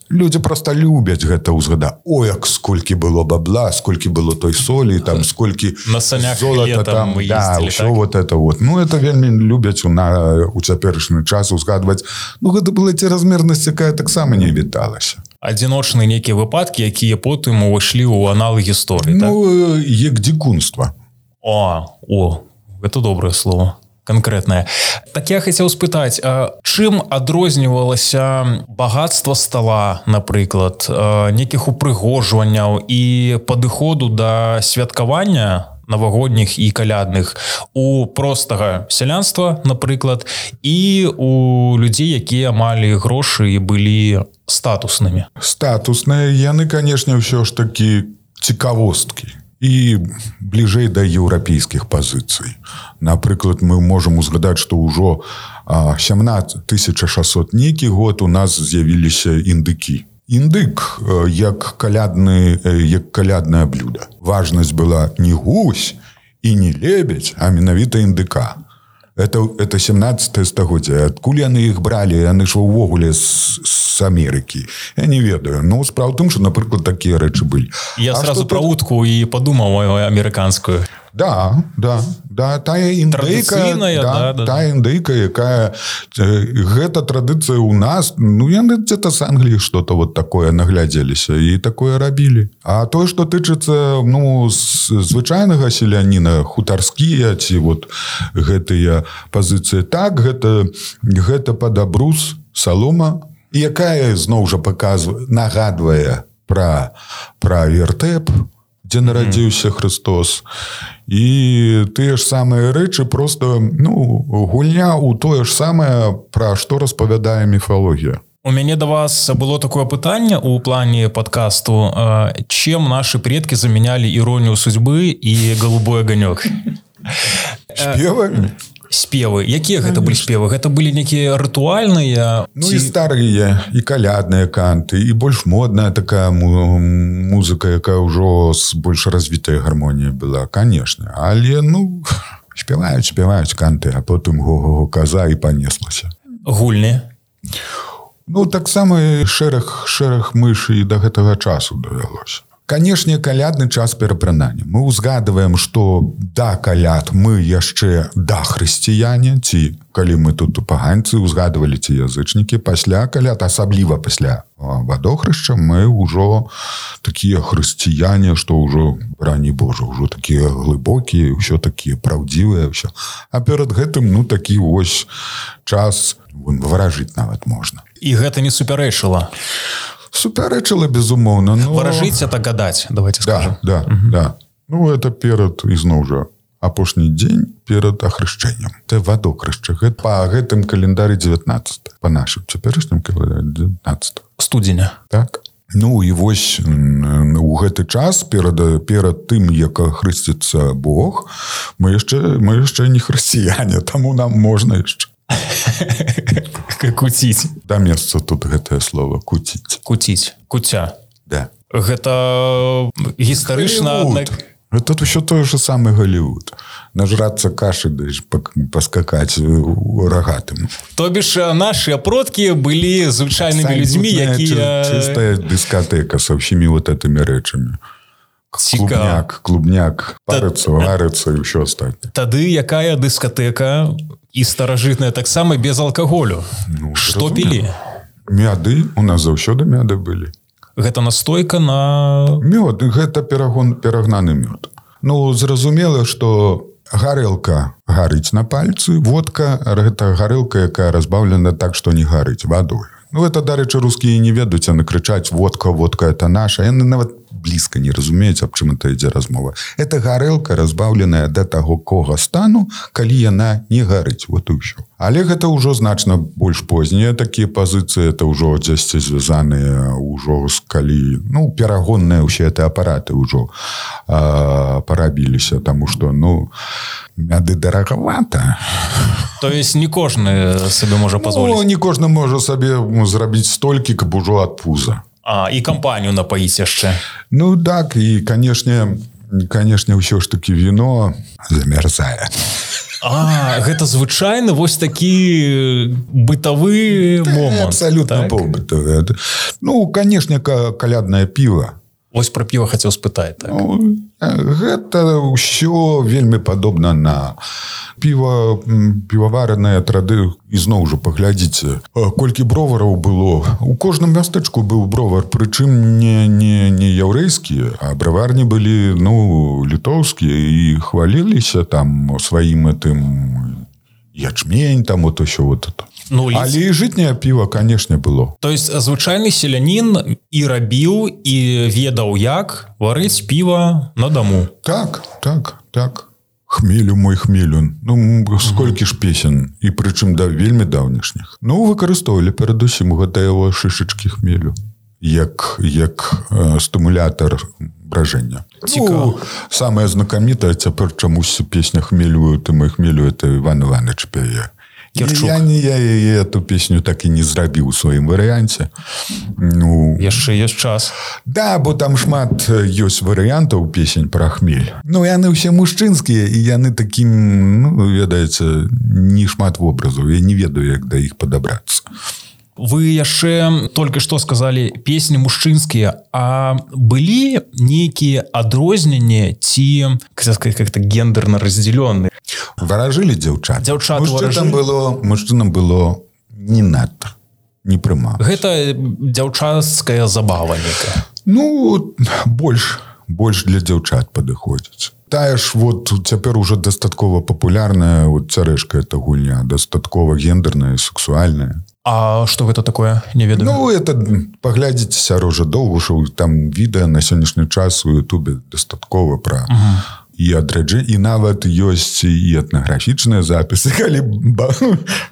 людзі проста любяць гэта ўзгадаць. О, як сколькі было бабла, сколькі было той солі, там, сколькі
на санях
золата там,
мы
да,
ездили,
ўсё
так?
вот это вот. Ну, это вельмі любяць у, на, у цяперашні час узгадваць. Ну, гэта была ціразмернасць, якая таксама не віталася.
Адзіночныя нейкія выпадкі, якія потым увайшлі ў аналы гісторыі, так?
Ну, як дзікунства.
О, о, гэта добрае слово, канкрэтнае. Так я хацеў спытаць, чым адрознівалася багатства стола, напрыклад, нейкіх упрыгожванняў і падыходу да святкавання навагодніх і калядных у простага сялянства, напрыклад, і у людзей, якія малі грошы і былі статуснымі?
Статусныя, яны, канешне, ўсё ж такі цікавосткі і бліжэй да еўрапейскіх пазіцый. Напрыклад, мы можам узгадаць, што ўжо сямнаццаць тысяча шэсцьсот нейкі год у нас з'явіліся індыкі. Індык як калядны, як каляднае блюдо. Важнасць была не гусь і не лебедь, а менавіта індыка. Это, это сямнаццатае стагоддзе. Адкуль яны іх бралі? Яны ж увогуле з, з Амерыкі. Я не ведаю. Ну, справа в тым, што, напрыклад, такія рэчы былі.
Я
а
сразу про утку і падумаў амерыканскую.
Да, да, да, тая індыка, да, да, тая індыка, якая гэта традыцыя ў нас, ну яны где-то з Англіі что-то вот такое наглядзеліся і такое рабілі. А тое, што тычыцца, ну, звычайнага селяніна, хутарскія ці вот гэтыя пазіцыі, так, гэта, гэта падабрус, салома, якая зноў жа паказвае, нагадвае пра, пра вертэп, дзе нарадзіўся Христос. І тыя ж самыя рэчы просто, ну, гульня ў тое ж самае, пра што распавядае міфалогія.
У мяне да вас было такое пытанне ў плане падкасту. Чым нашы предкі замянялі іронію судьбы і голубой аганёк?
Спевамі?
Спевы. Якія гэта былі спевы? Гэта былі нейкія рытуальныя?
Ну, ці... і старыя, і калядныя канты, і больш модная такая музыка, якая ўжо з больш развітай гармоніяй была, канешне. Але, ну, спяваюць, спяваюць канты, а потым го-го-го каза і панеслася.
Гульні?
Ну, таксама шэраг, шэраг мышы і да гэтага часу давялося. Канешне, калядны час перапранання. Мы ўзгадываем, што да каляд мы яшчэ да хрысціяне, ці калі мы тут паганцы ўзгадывалі ці язычнікі, пасля каляд, асабліва пасля вадохрышча, мы ўжо такія хрысціяне, што ўжо, рані Божа, ўжо такія глыбокія, ўсё такія праўдзівыя, ўсё. А перад гэтым, ну, такі вось час выражыць нават можна.
І гэта не супярэчыла?
Супярэчыла, безумоўна. Но...
Выражыць — это гадаць, давайте скажем.
Да, да, угу. Да. Ну, это перад, ізноў жа, апошні дзень перад ахрышчэннем. Це вадокрышча. Гэта па гэтым календарі дзевятнаццатага. Па нашым цяперашнім календарі дзевятнаццатага.
Студзеня.
Так. Ну, і вось у гэты час, перад, перад тым, як хрысціцца Бог, мы яшчэ, мы яшчэ не хрысціяне, таму нам можна яшчэ.
Куціць.
Да месца тут гэтае слово куціць.
Куціць. Куця.
Да.
Гэта гістарычна...
Гэта ўсё тое ж самае Голлівуд. Нажрацца кашы, даеш паскакаць рагатым.
То бишь, наши продкі былі звычайнымі людзьмі, якія...
Чистая дискотека со всеми вот этими рэчамі. Клубняк, клубняк, парыцца, варыцца і ўсё астатняе.
Тады якая дыскатэка і старажытная таксама без алкаголю?
Ну,
што пілі?
Мяды, у нас заўсёды мяды былі.
Гэта настойка на...
Мёд, гэта перагон, перагнаны мёд. Ну, зразумела, што гарэлка гарыць на пальцы, водка, гэта гарэлка, якая разбаўлена так, што не гарыць вадой. Ну, это, дарэчы, рускія не ведаюць, яны крычаць: водка, водка, это наша. Яны нават блізка не разумеюць, аб чым это ідзе размова. Это гарэлка, разбаўленая да таго кога стану, калі яна не гарыць. Вот і ўсё. Але гэта ўжо значна больш познія такія пазіцыі, это ўжо дзесьці звязаныя ўжо з калі, ну, перагонныя ўсе гэтыя апараты ўжо а, парабіліся, таму што, ну, мяды дарагавата.
То есть не кожны сабе можа пазволіць?
Ну, не кожны можа сабе зрабіць столькі, каб ужо ад пуза.
А, і кампанію напаіць яшчэ.
Ну, так, і, канешне, канешне, ўсё ж такі віно замярзае.
А, гэта звычайны вось такі бытавы момант.
Абсалютна так? Побытавы. Ну, канешне, каляднае піва.
Вось пра піва хацеў спытаць. Так.
Ну, гэта ўсё вельмі падобна на піва, піваварныя трады. Ізноў жа паглядзіце, колькі бровараў было. У кожным мястэчку быў бровар, прычым не, не, не яўрэйскія, а браварні былі, ну, літоўскія, і хваліліся там сваім этым ячмень, там вот усё вот это. Ну, але і жытняе піва, канешне, было.
То есть звычайны селянін і рабіў, і ведаў, як варыць піва на даму.
Так, так, так. Хмелю мой хмелю. Ну, сколькі ж песен, і прычым да вельмі даўнішніх. Ну, выкарыстоўвалі перадусім гэтыя яго шышачкі хмелю, як, як э, стымулятор бражэння.
Цікава.
Ну, самая знакамітая цяпер чамусь песня хмелю, ты мой хмелю, это Іван Іванович пяе.
Кірчук.
Я, я, я эту песню так і не зрабіў у сваім варыянце. Ну,
яшчэ ёсць час.
Да, бо там шмат ёсць варыянтаў песень пра хмель. Ну, яны ўсе мужчынскія, і яны такім, ну, ведаеце, не шмат вобразаў. Я не ведаю, як да іх падабрацца.
Вы яшчэ только што сказалі песні мужчынскія, а былі нейкія адрозненні ці как-то гендерна раздзялёныя?
Варажылі дзяўчат.
Дзяўчат
мужчынам было, мужчынам было не надта, не прымалася.
Гэта дзяўчацкая забава некая.
Ну, больш, больш для дзяўчат падыходзіць. Тая ж вот цяпер уже дастаткова папулярная вот цярэшка эта гульня, дастаткова гендерная, сексуальная.
А што гэта такое? Не ведаю.
Ну, это паглядзіце Сярожа Доўгушаў, там відэа на сённяшні час у Ютубе дастаткова пра uh-huh. і адраджэнне, і нават ёсць і этнаграфічныя запісы, калі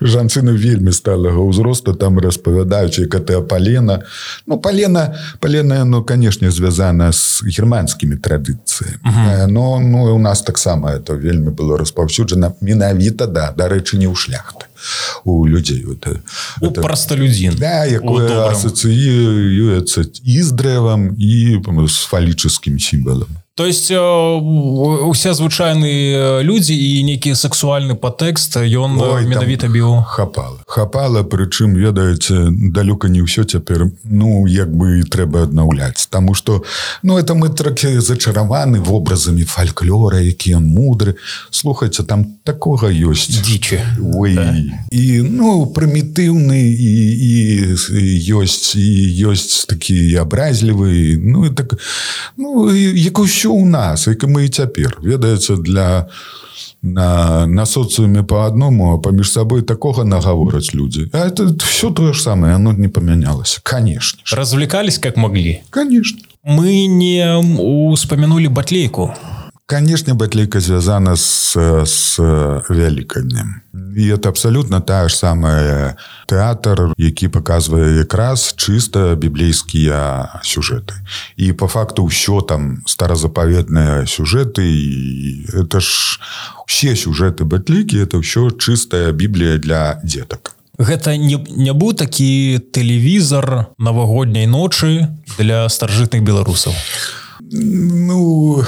жанчыны вельмі сталага ўзросту там распавядаюць, як гэта палена. Ну, палена, палена, ну, канешне, звязана з германскімі традыцыямі. Uh-huh. Но, ну, у нас таксама это вельмі было распаўсюджана. Менавіта, да, дарэчы, не ў шляхты. У людзей. Это,
у это, простолюдзін.
Да, якое асацыюецца і з дрэвам, і з фалічыскім сімвалам.
То есть усе звычайныя людзі і нейкі сексуальны падтэкст ён менавіта біў.
Хапала. Хапала, прычым, ведаеце, далёка не ўсё цяпер, ну, як бы трэба аднаўляць. Таму што, ну, это мы трохі зачараваны вобразамі фальклора, які ён мудры. Слухайце, там такога ёсць.
Дзічы.
Ой. Да. І, ну, прымітыўны, і, і, і ёсць, і ёсць такі абразлівы, ну, і так, ну, як усё у нас, як мы і цяпер. Ведаеце, для на, на социуме по одному, а паміж сабой такога нагавораць людзі. А это все то же самое, оно не поменялось. Конечно.
Развлекались как могли?
Конечно.
Мы не успомянули батлейку.
Конечно, батлейка звязана с, с Великоднем. І это абсолютно тая ж самая тэатр, які паказвае якраз чыста біблейскія сюжэты. І по факту ўсё там старозапаветныя сюжэты, і это ж усе сюжэты батлейкі, это ўсё чыстая Біблія для дзетак.
Гэта не, не быў такі тэлевізор навагодняй ночы для старажытных беларусаў?
Ну...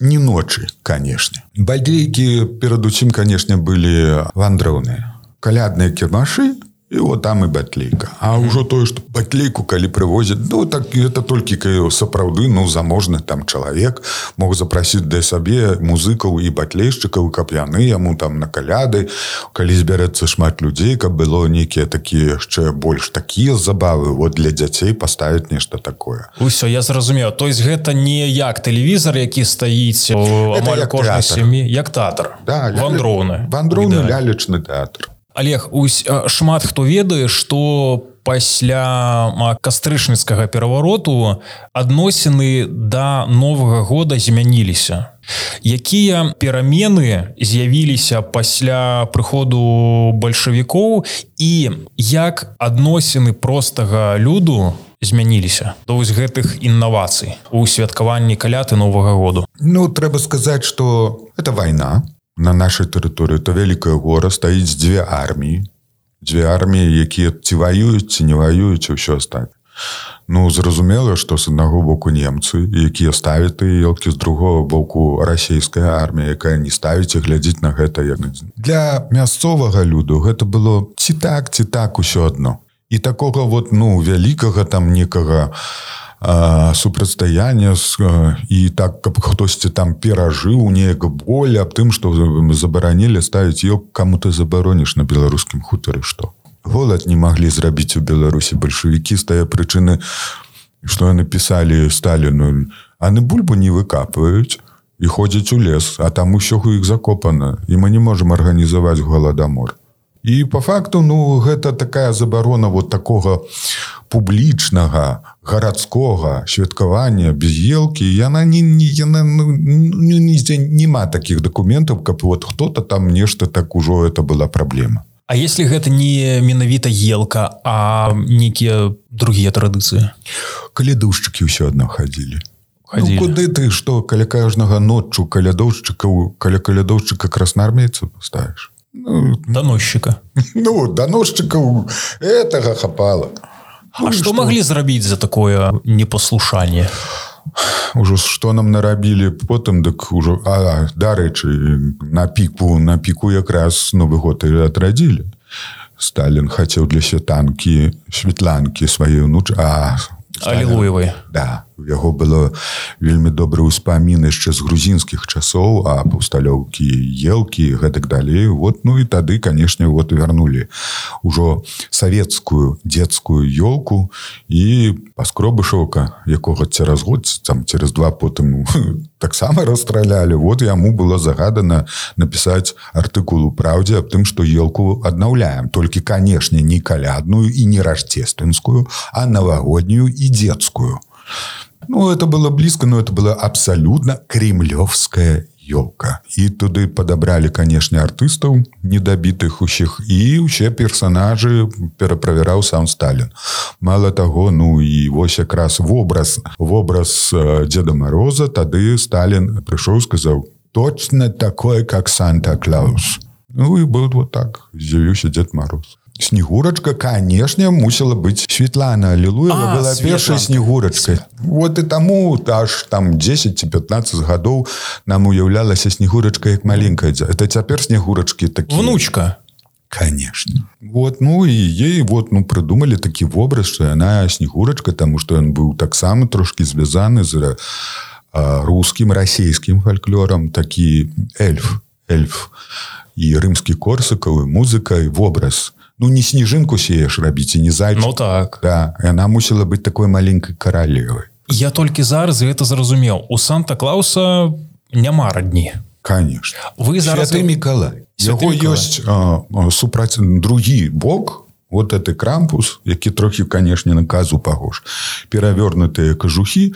Не ночи, конечно. Батлейки, перед усім, конечно, были вандроўныя. Калядныя кірмашы, и вот там и батлейка. А mm-hmm. уже то, что батлейку, коли привозят, ну, так это только сапраўды, ну, заможны там человек мог запросить для себе музыкаў и батлейшчыкаў, каб яны яму там на каляды, калі збярэцца шмат людей, каб было нейкія такие яшчэ больш такие забавы, вот для дзяцей поставить нешта такое.
Усё, я зразумеў. То есть гэта не як тэлевізор, які стаіць амаль кожнай сям'і, як тэатр.
Да,
вандроўны.
Вандроўны лялечны тэатр.
Олег, усь, шмат хто ведае, што пасля кастрычніцкага перавароту адносіны да Новага года змяніліся. Якія перамены з'явіліся пасля прыходу бальшавікоў і як адносіны простага люду змяніліся да вось гэтых інавацый у святкаванні каляд і Новага году?
Ну, трэба сказаць, што это вайна. На нашай тэрыторыі это вялікае гора, стаіць дзве арміі. Дзве арміі, якія ці ваююць, ці не ваююць, і ўсё астатняе. Ну, зразумела, што з аднаго боку немцы, якія ставяць тыя елкі, з другого боку расійская армія, якая не ставіць і глядзіць на гэта як на дзень. Для мясцовага люду гэта было ці так, ці так усё адно. І такога вот, ну, вялікага там некага супрацьстаяння і так, каб хтосьці там перажыў неяк боль аб тым, што забаранілі ставіць ёк, каму ты забароніш на беларускім хутары, што? Голад не маглі зрабіць у Беларусі бальшавікі з тая прычыны, што яны пісалі Сталіну, яны бульбу не выкапваюць і ходзяць у лес, а там усё ў іх закопана, і мы не можам арганізаваць голадамор. І по факту, ну, гэта такая забарона вот такога публічнага, гарадскога святкавання без елкі, яна не, не, яна, ну, нідзе нема такіх дакументаў, каб вот хто-то там нешта так ужо это была праблема.
А если гэта не менавіта елка, а нейкія другія традыцыі?
Калядоўшчыкі ўсё адно хадзілі.
Ходили.
Ну, куды ты, што, каля кожнага ноччу калядоўшчыкаў, каля калядоўшчыка красноармейца паставіш?
Ну, доносчика.
Ну, доносчиков этого хапало.
А ну, что могли зрабіць за такое непослушание?
Ужо што нам нарабілі потым, дык ужо, а, дарэчы, на піку, на піку якраз Новы год і адрадзілі. Сталін хацеў для святанкі, святланкі сваёй унуч... А,
Алілуевай.
Да, у яго было вельмі добры ўспамін яшчэ з грузінскіх часоў, а паўсталёўкі елкі, гэтак далей. Вот, ну і тады, канешне, вот вярнулі ўжо савецкую дзецкую ёлку і Паскробышаўка, якога цераз год, там цераз два потым таксама расстралялі. Вот яму было загадана напісаць артыкул у «Праўдзе» аб тым, што ёлку аднаўляем. Толькі, канешне, не калядную і не рождественскую, а новогоднюю и детскую. Ну, это было близко, но это была абсолютно кремлевская елка. И туда подобрали, конечно, артистов недобитых ущих, и все персонажи перепроверял сам Сталин. Мало того, ну, и вот как раз в образ, в образ э, Деда Мороза тогда Сталин пришел и сказал, точно такой, как Санта-Клаус. Ну, и был вот так, з'явився Дед Мороз. Снегурочка, конечно, мусила быть Светлана Аллилуева, а, была первой Снегурочкой. Вот и тому аж там десять-пятнадцать годов нам уявлялась Снегурочка как маленькая. Это теперь Снегурочки такие.
Внучка.
Конечно. Вот, ну и ей вот, ну, придумали такий образ, что она Снегурочка, потому что он был так само трошки звязан з а, русским, российским фольклором, такий эльф, эльф. И римский Корсаков, и музыка, и в образ. Ну, не снежинку сеешь рабіць, і не зайчик.
Ну, так.
Да, и она мусила быть такой маленькой королевой.
Я толькі зараз гэта зразумеў. У Санта-Клауса няма радні.
Конечно.
Вы зараз...
Святы Миколай. Яго ёсць а, супраць другі бок, вот это Крампус, які трохи, конечно, на казу пагож. Перавернутыя кажухі.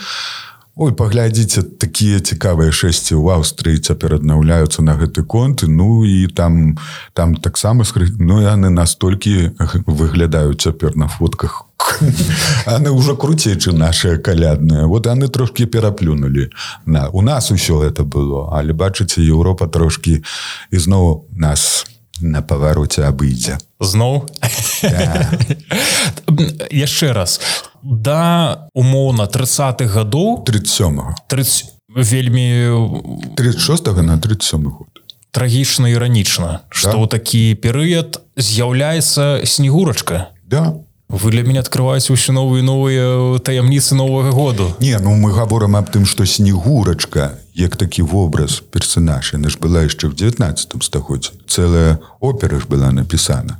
Ой, паглядзіце, такія цікавыя шэсці ў Аўстрыі цяпер аднаўляюцца на гэты конт. Ну, і там, там таксама, ну, яны настолькі выглядаюць цяпер на фотках. Яны ўжо круцей, чым нашыя калядныя. Вот яны трошки пераплюнулі. На, у нас усё это было. Але, бачыце, Еўропа трошки ізноў нас на павароце абыдзе.
Зноў?
Да.
Яшчэ раз. Да, умоўна, тридцатых гадоў...
тридцать сёмага.
тридцать... Вельмі...
тридцать шостага на тридцать сёмы год.
Трагічна і іранічна, што ў такі перыяд з'яўляецца Снегурачка.
Да.
Вы для мяне адкрываеце ўсё новыя і новыя таямніцы Новага году.
Не, ну мы гаворым аб тым, што Снегурачка, як такі вобраз, персонаж, яна ж была яшчэ ў дзевятнаццатым стагоддзі. Цэлая опера ж была напісана.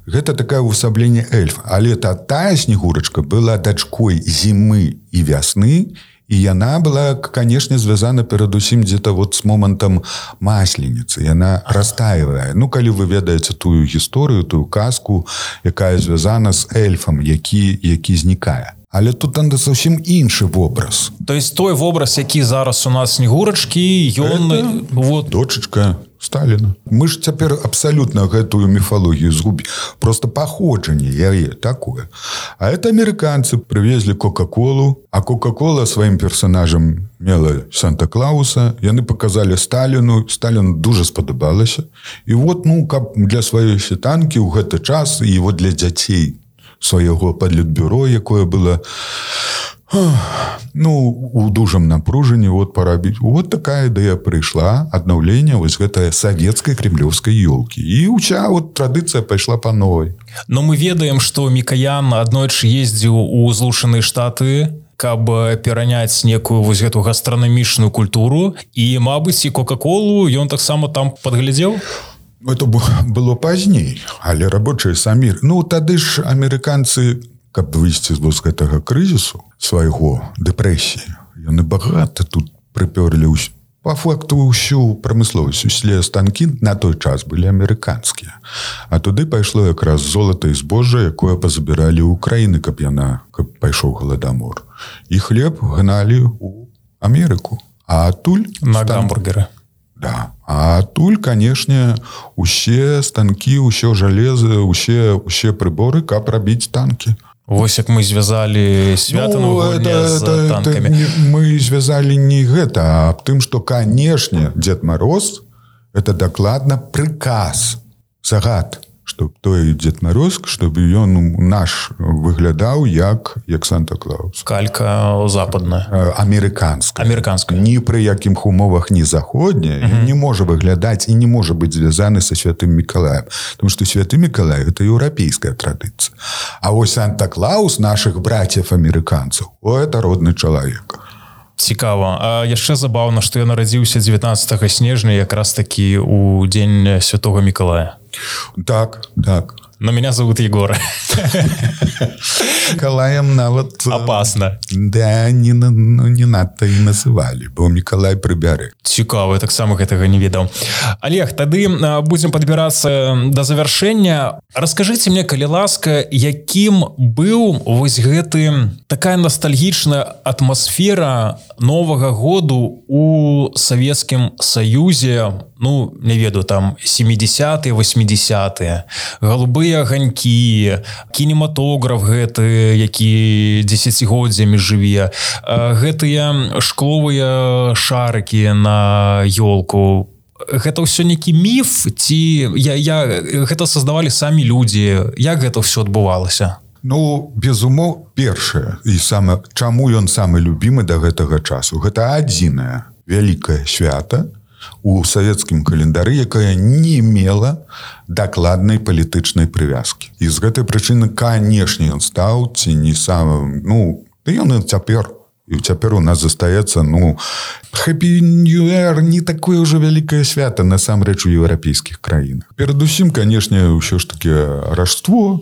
Гэта такое увасабленне эльфа. Але та, тая Снегурачка была дачкой зімы і вясны, і яна была, конечно, звязана перадусім дзе-то вот с момантам масленицы. Яна растаивае. Ну, калі вы ведаеце тую гісторыю, тую казку, якая звязана з эльфам, які, які знікае. Але тут там зовсім іншы вобраз.
То есть той вобраз, які зараз у нас Снегурачкі, ён... Вот...
Дочечка Сталіна. Мы ж цяпер абсалютна гэтую міфалогію згубілі. Просто паходжанне яе такое. А это амерыканцы прывезлі Кока-Колу, а Кока-Кола сваім персонажам мела Санта-Клауса. Яны показалі Сталіну. Сталіну дуже спадабалася. І вот, ну, каб для сваёй святанкі ў гэты час, і вот для дзяцей свайго падлітбюро, якое было... Ну, у дужам напружанні вот парабіць. Вот такая ідэя прыйшла, аднаўленне вось гэтай савецкай кремлёвскай ёлкі. І ўся вот традыцыя пайшла па новай.
Но мы ведаем, што Мікаян аднойчы ездзіў у Злучаныя Штаты, каб пераняць некую вось гэту гастранамічную культуру. І, мабыць, і Кока-Колу ён таксама там падглядзеў?
Это было пазней, але рабочыя самі... Ну, тады ж амерыканцы... каб выйсці з гэтага крызісу свайго, дэпрэсіі. Яны багата тут прыпёрлі ўсё. Па факту ўсю прамысловасць, усе станкі на той час былі амерыканскія. А туды пайшло якраз золата і збожжа, якое пазабіралі ў Украіны, каб яна, каб пайшоў галадамор. І хлеб гналі ў Амерыку. А адтуль...
На стан... гамбургеры.
Да. А адтуль, канешне, усе станкі, ўсё жалеза, усе, усе прыборы, каб рабіць танкі.
Вось як мы звязалі свята
ну,
новогодня з
это,
танкамі.
Это, мы звязалі не гэта, а аб тым, што, канешне, Дед Мороз — это дакладна прыказ загад, чтобы той Дед Мороз, чтобы ён наш выглядаў як, як Санта-Клаус.
Калька западная.
Американская.
Американская.
Ні при яких умовах, ні заходняя, mm-hmm. не може выглядаць і не може бути звязаны со Святым Миколаем. Потому что Святый Миколай – это европейская традиция. А ось Санта-Клаус наших братьев-американцев – о, это родный человек.
Цікава. А яшчэ забаўна, што я нарадзіўся дзевятнаццатага снежня якраз таки у дзень Святого Миколая.
Так, так.
Но меня зовут Егор.
Миколаем нават...
Опасно.
Да, не, ну, не надто і называлі, бо Миколай прыбярэ.
Цікава, я таксама гэтага не ведаў. Олег, тады будзем падбірацца да завяршэння. Раскажыце мне, калі ласка, якім быў вось гэты такая ностальгічная атмасфера Новага году у Савецкім Саюзе, ну, не ведаю, там семидесятые, восьмидесятые, голубыя аганькі, кінематограф гэты, які дзесяцігоддзямі жыве, гэтыя шкловыя шарыкі на ёлку. Гэта ўсё нейкі міф, ці я, я, гэта создавалі самі людзі? Як гэта ўсё адбывалася?
Ну, без умоў, першае, і саме, чаму ён самы любімы да гэтага часу? Гэта адзінае вялікае свята у савецкім календары, якая не мела дакладнай палітычнай прывязкі. І з гэтай прычыны, канешне, ён стаў ці не самым, ну, ён і цяпер, і цяпер у нас застаецца, ну, Happy New Year не такое ўжо вялікае свята, насамрэч, у еўрапейскіх краінах. Перадусім, канешне, ўсё ж таки Рождество,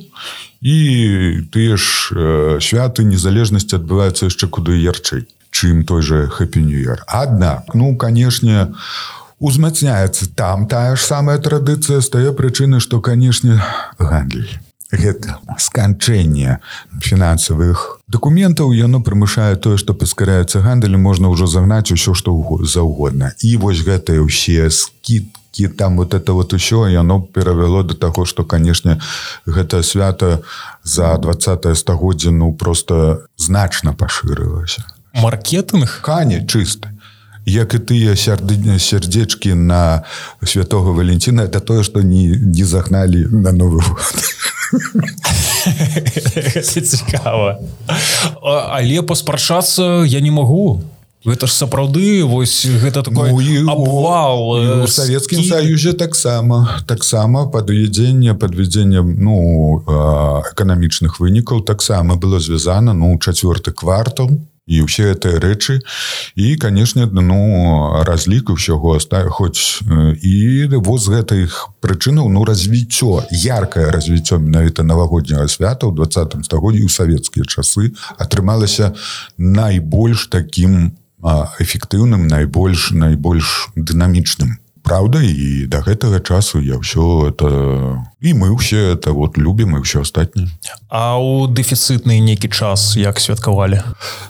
і тыя ж э, святы незалежнасці адбываюцца яшчэ куды ярчэй, чым той же Happy New Year. Аднак, ну, канешне, узмацняецца там тая ж самая традыцыя з тае прычыны, што, канешне, гандль. Гэта сканчэнне фінансавых дакументаў, яно прымушае тое, што паскараецца гандаль, можна ўжо загнаць усё, што заўгодна. І вось гэтыя ўсе скидкі, там вот это вот усё, яно перавяло да таго, што, канешне, гэта свята за двадцатае стагоддзе, ну, просто значна пашырылася.
Маркетинг?
Кане, чисто. Як і тыя сердечки на Святого Валентина, это тое, што не, не загналі на Новы год.
Гэта цікава. Але паспрачацца я не магу. Гэта ж сапраўды, вось гэта такой ну, абвал.
У Савецкім Саюзе таксама. Таксама падвядзенне, падвядзенне ну, эканамічных вынікаў таксама было звязана, ну, чацвёрты квартал. І ўсе гэтыя рэчы. І, канешне, ну, разлік усяго хоць і вот з гэтых прычынаў, ну, развіццё, яркае развіццё менавіта навагодняга свята ў двадцатым стагоддзі ў савецкія часы атрымалася найбольш такім эфектыўным, найбольш, найбольш дынамічным. Правда, і да гэтага часу я ўсё это... І мы ўсе это вот любім, і ўсё астатняе.
А ў дэфіцытны нейкі час як святкавалі?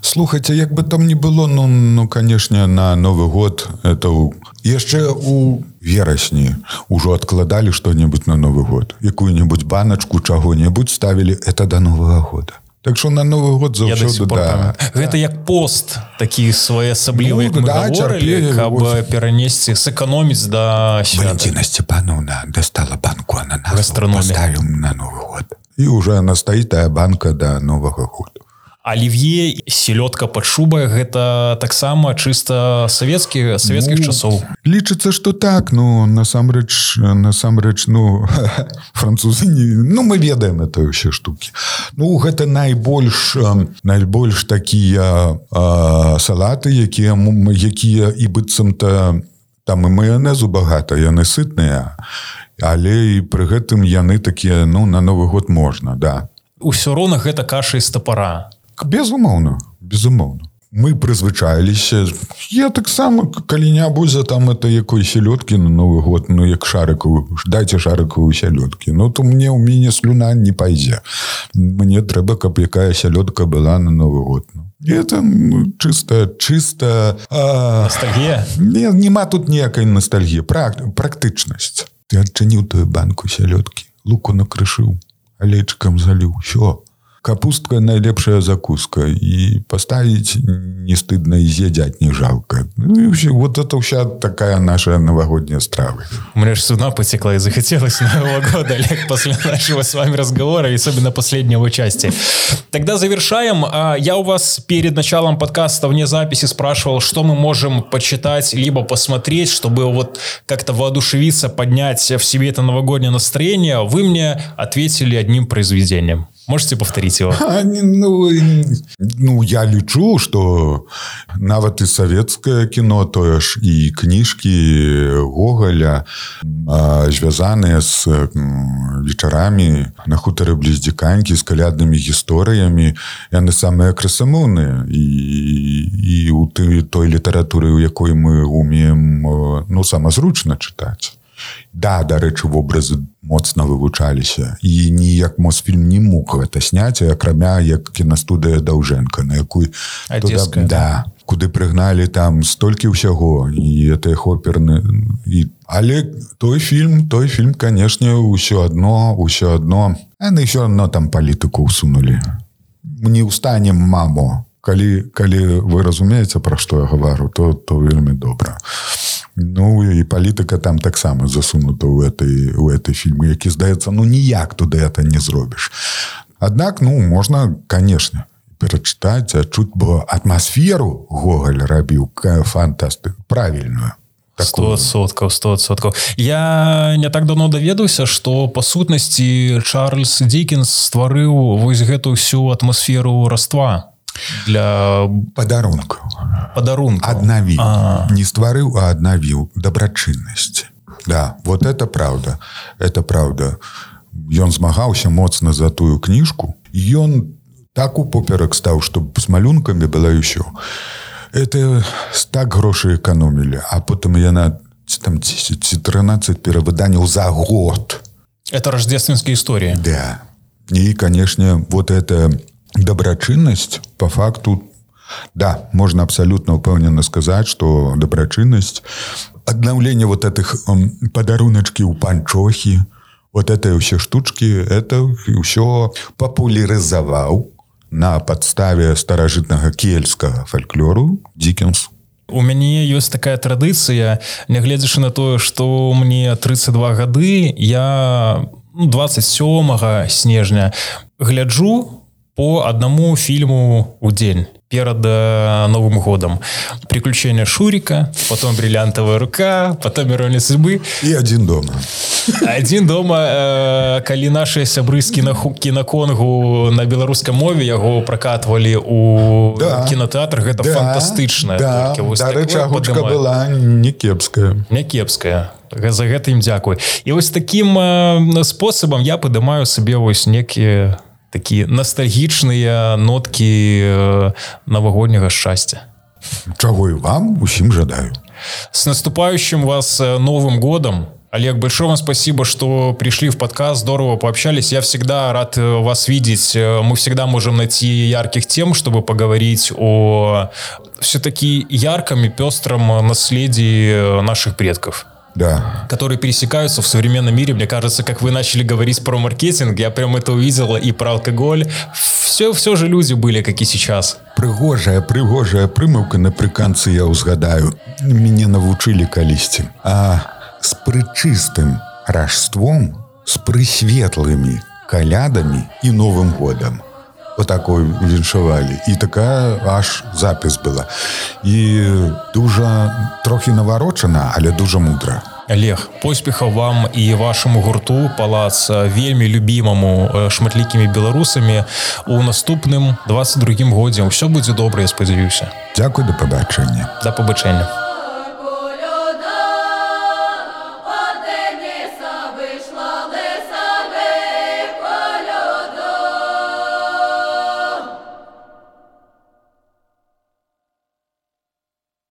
Слухайце, як бы там не было, ну, ну канешне, на Новы год это ў... яшчэ ў верасні ўжо адкладалі што-небудзь на Новы год. Якую-небудзь баначку чаго-небудзь ставілі, это да Новага года. Так что на Новый год заўсёды, да.
Гэта як пост, такі своеасаблівы, як
ну,
мы
да,
говорили, каб перанесці, сэкономіць да свята.
Валентина Степановна достала банку ананасов, поставим на Новый год. И уже она стоит, тая банка до Нового года.
Оливье, селёдка под шубой, гэта таксама чисто савецкі, савецкіх ну, часоў.
Лічыцца, што так, ну, насамрэч, насамрэч, ну, французы, не, ну, мы ведаем это ўсе штукі. Ну, гэта найбольш, найбольш такія а, салаты, якія, якія і быццам-то, там і маёнезу багата, яны сытныя, але і пры гэтым яны такія, ну, на Новы год можна, да.
Усё роўна гэта каша з тапара.
Безумоўна, безумоўна. Мы прызвычаіліся. Я таксама, калі не будзе там это якой селёдкі на Новы год, ну, як шарыкавую, дайце шарыкавую селёдкі. Ну, то мне ў мяне слюна не пайдзе. Мне трэба, каб якая селёдка была на Новы год. І это ну, чыста, чыста... А...
Ностальгія?
Не, нема тут ніякай ностальгіі. Прак... Практычнасць. Ты адчыніў тую банку селёдкі, луку накрышыў, алейчыкам заліў. Всё. капустка найлепшая закуска, и поставить не стыдно, и съедать не жалко. Ну и вообще, вот это вся такая наша новогодняя страва.
У меня же слюна потекла и захотелось Нового года, Олег, после нашего с вами разговора, и особенно последнего части. Тогда завершаем. Я у вас перед началом подкаста вне записи спрашивал, что мы можем почитать, либо посмотреть, чтобы вот как-то воодушевиться, поднять в себе это новогоднее настроение. Вы мне ответили одним произведением. Можете повторить его?
А, ну, ну, я лічу, что нават и советское кино, то ж и книжки Гоголя, связанные с вечерами на хуторе близ Диканьки, с колядными историями, яны самые красамоўныя. И, и у той литературы, у якой мы умеем, ну, самозручно читать. Да, дарэчы, вобразы моцна вывучаліся. І ніяк Мосфільм не мог гэта сняць, акрамя як кінастудыя Даўжэнка, на якой...
Одесская.
Да, куды прыгналі там столькі ўсяго, і гэтыя хоперны... І... Але той фільм, той фільм, канешне, ўсё адно, ўсё адно... Яны ўсё адно там палітыку ўсунулі. Не ўстанем, мамо. Калі, калі вы разумееце, пра што я гавару, то, то вельмі добра. Ну, і палітыка там таксама засунута ў этой, ў этой фільмы, які, здаецца, ну, ніяк туды это не зробіш. Аднак, ну, можна, канешне, перачытаць, адчуць, бо атмасферу Гоголь рабіў фантастык, правільную.
Сто адсоткаў, сто адсоткаў. Я не так давно даведаўся, што, па сутнасці, Чарльз Дікенс стварыў вось гэту ўсю атмасферу раства. Для
падарункаў.
Падарункаў.
Аднавіў. А. Не стварыў, а аднавіў дабрачыннасці. Да, вот это правда. Это правда. Ён змагаўся моцна за тую кніжку. Ён так упоперак стаў, што з малюнкамі было ўсё. Это так грошы эканомілі. А потым яна там тринадцать перавыданняў за год.
Это рождественская история.
Да. И, конечно, вот это... Добрачыннасць, по факту, да, можно абсолютно упэўнена сказать, что добрачыннасць, аднаўленне вот этих падаруначкі ў панчохі, вот это все штучки, это все популяризовал на подставе старажытнага кельтскага фольклору Диккенс.
У мяне ёсць такая традыцыя, нягледзячы на тое, што мне тридцать два гады, я двадцать сёмага снежня гляджу по одному фильму в день перед э, Новым годом. «Приключения Шурика», потом «Бриллиантовая рука», потом «Ирония судьбы».
И «Один дома».
«Один дома», э, калі наши сябры з кінаконгу на беларускай мове яго пракатвалі у да. кінотэатрах, гэта да. фантастычна.
Да, дарэчы, агучка была не кепская.
Не кепская. За гэта ім дзякуй. І вось такім э, спосабам я падымаю сабе вось некія такие ностальгічныя нотки новогоднего счастья.
Чего и вам усім жадаю.
С наступающим вас Новым годом. Олег, большое вам спасибо, что пришли в подкаст, здорово пообщались. Я всегда рад вас видеть. Мы всегда можем найти ярких тем, чтобы поговорить о все-таки ярком и пестром наследии наших предков.
Да.
Которые пересекаются в современном мире. Мне кажется, как вы начали говорить про маркетинг, я прям это увидела, и про алкоголь. Все, все же люди были, как и сейчас.
Прыгожая, прыгожая прымаўка напрыканцы я ўзгадаю. Мяне навучылі калісьці. А з прычыстым ражством, з прысветлымі калядамі і Новым годам. Вот такой віншавалі. І такая аж запіс была. І дуже трохи наварочана, але дуже мудра.
Олег, поспехаў вам і вашаму гурту «Палац», вельмі любімаму шматлікімі беларусамі у наступным двадцать другім годзе. Усё будзе добра, я спадзяюся.
Дзякуй, да пабачэння.
Да пабачэння.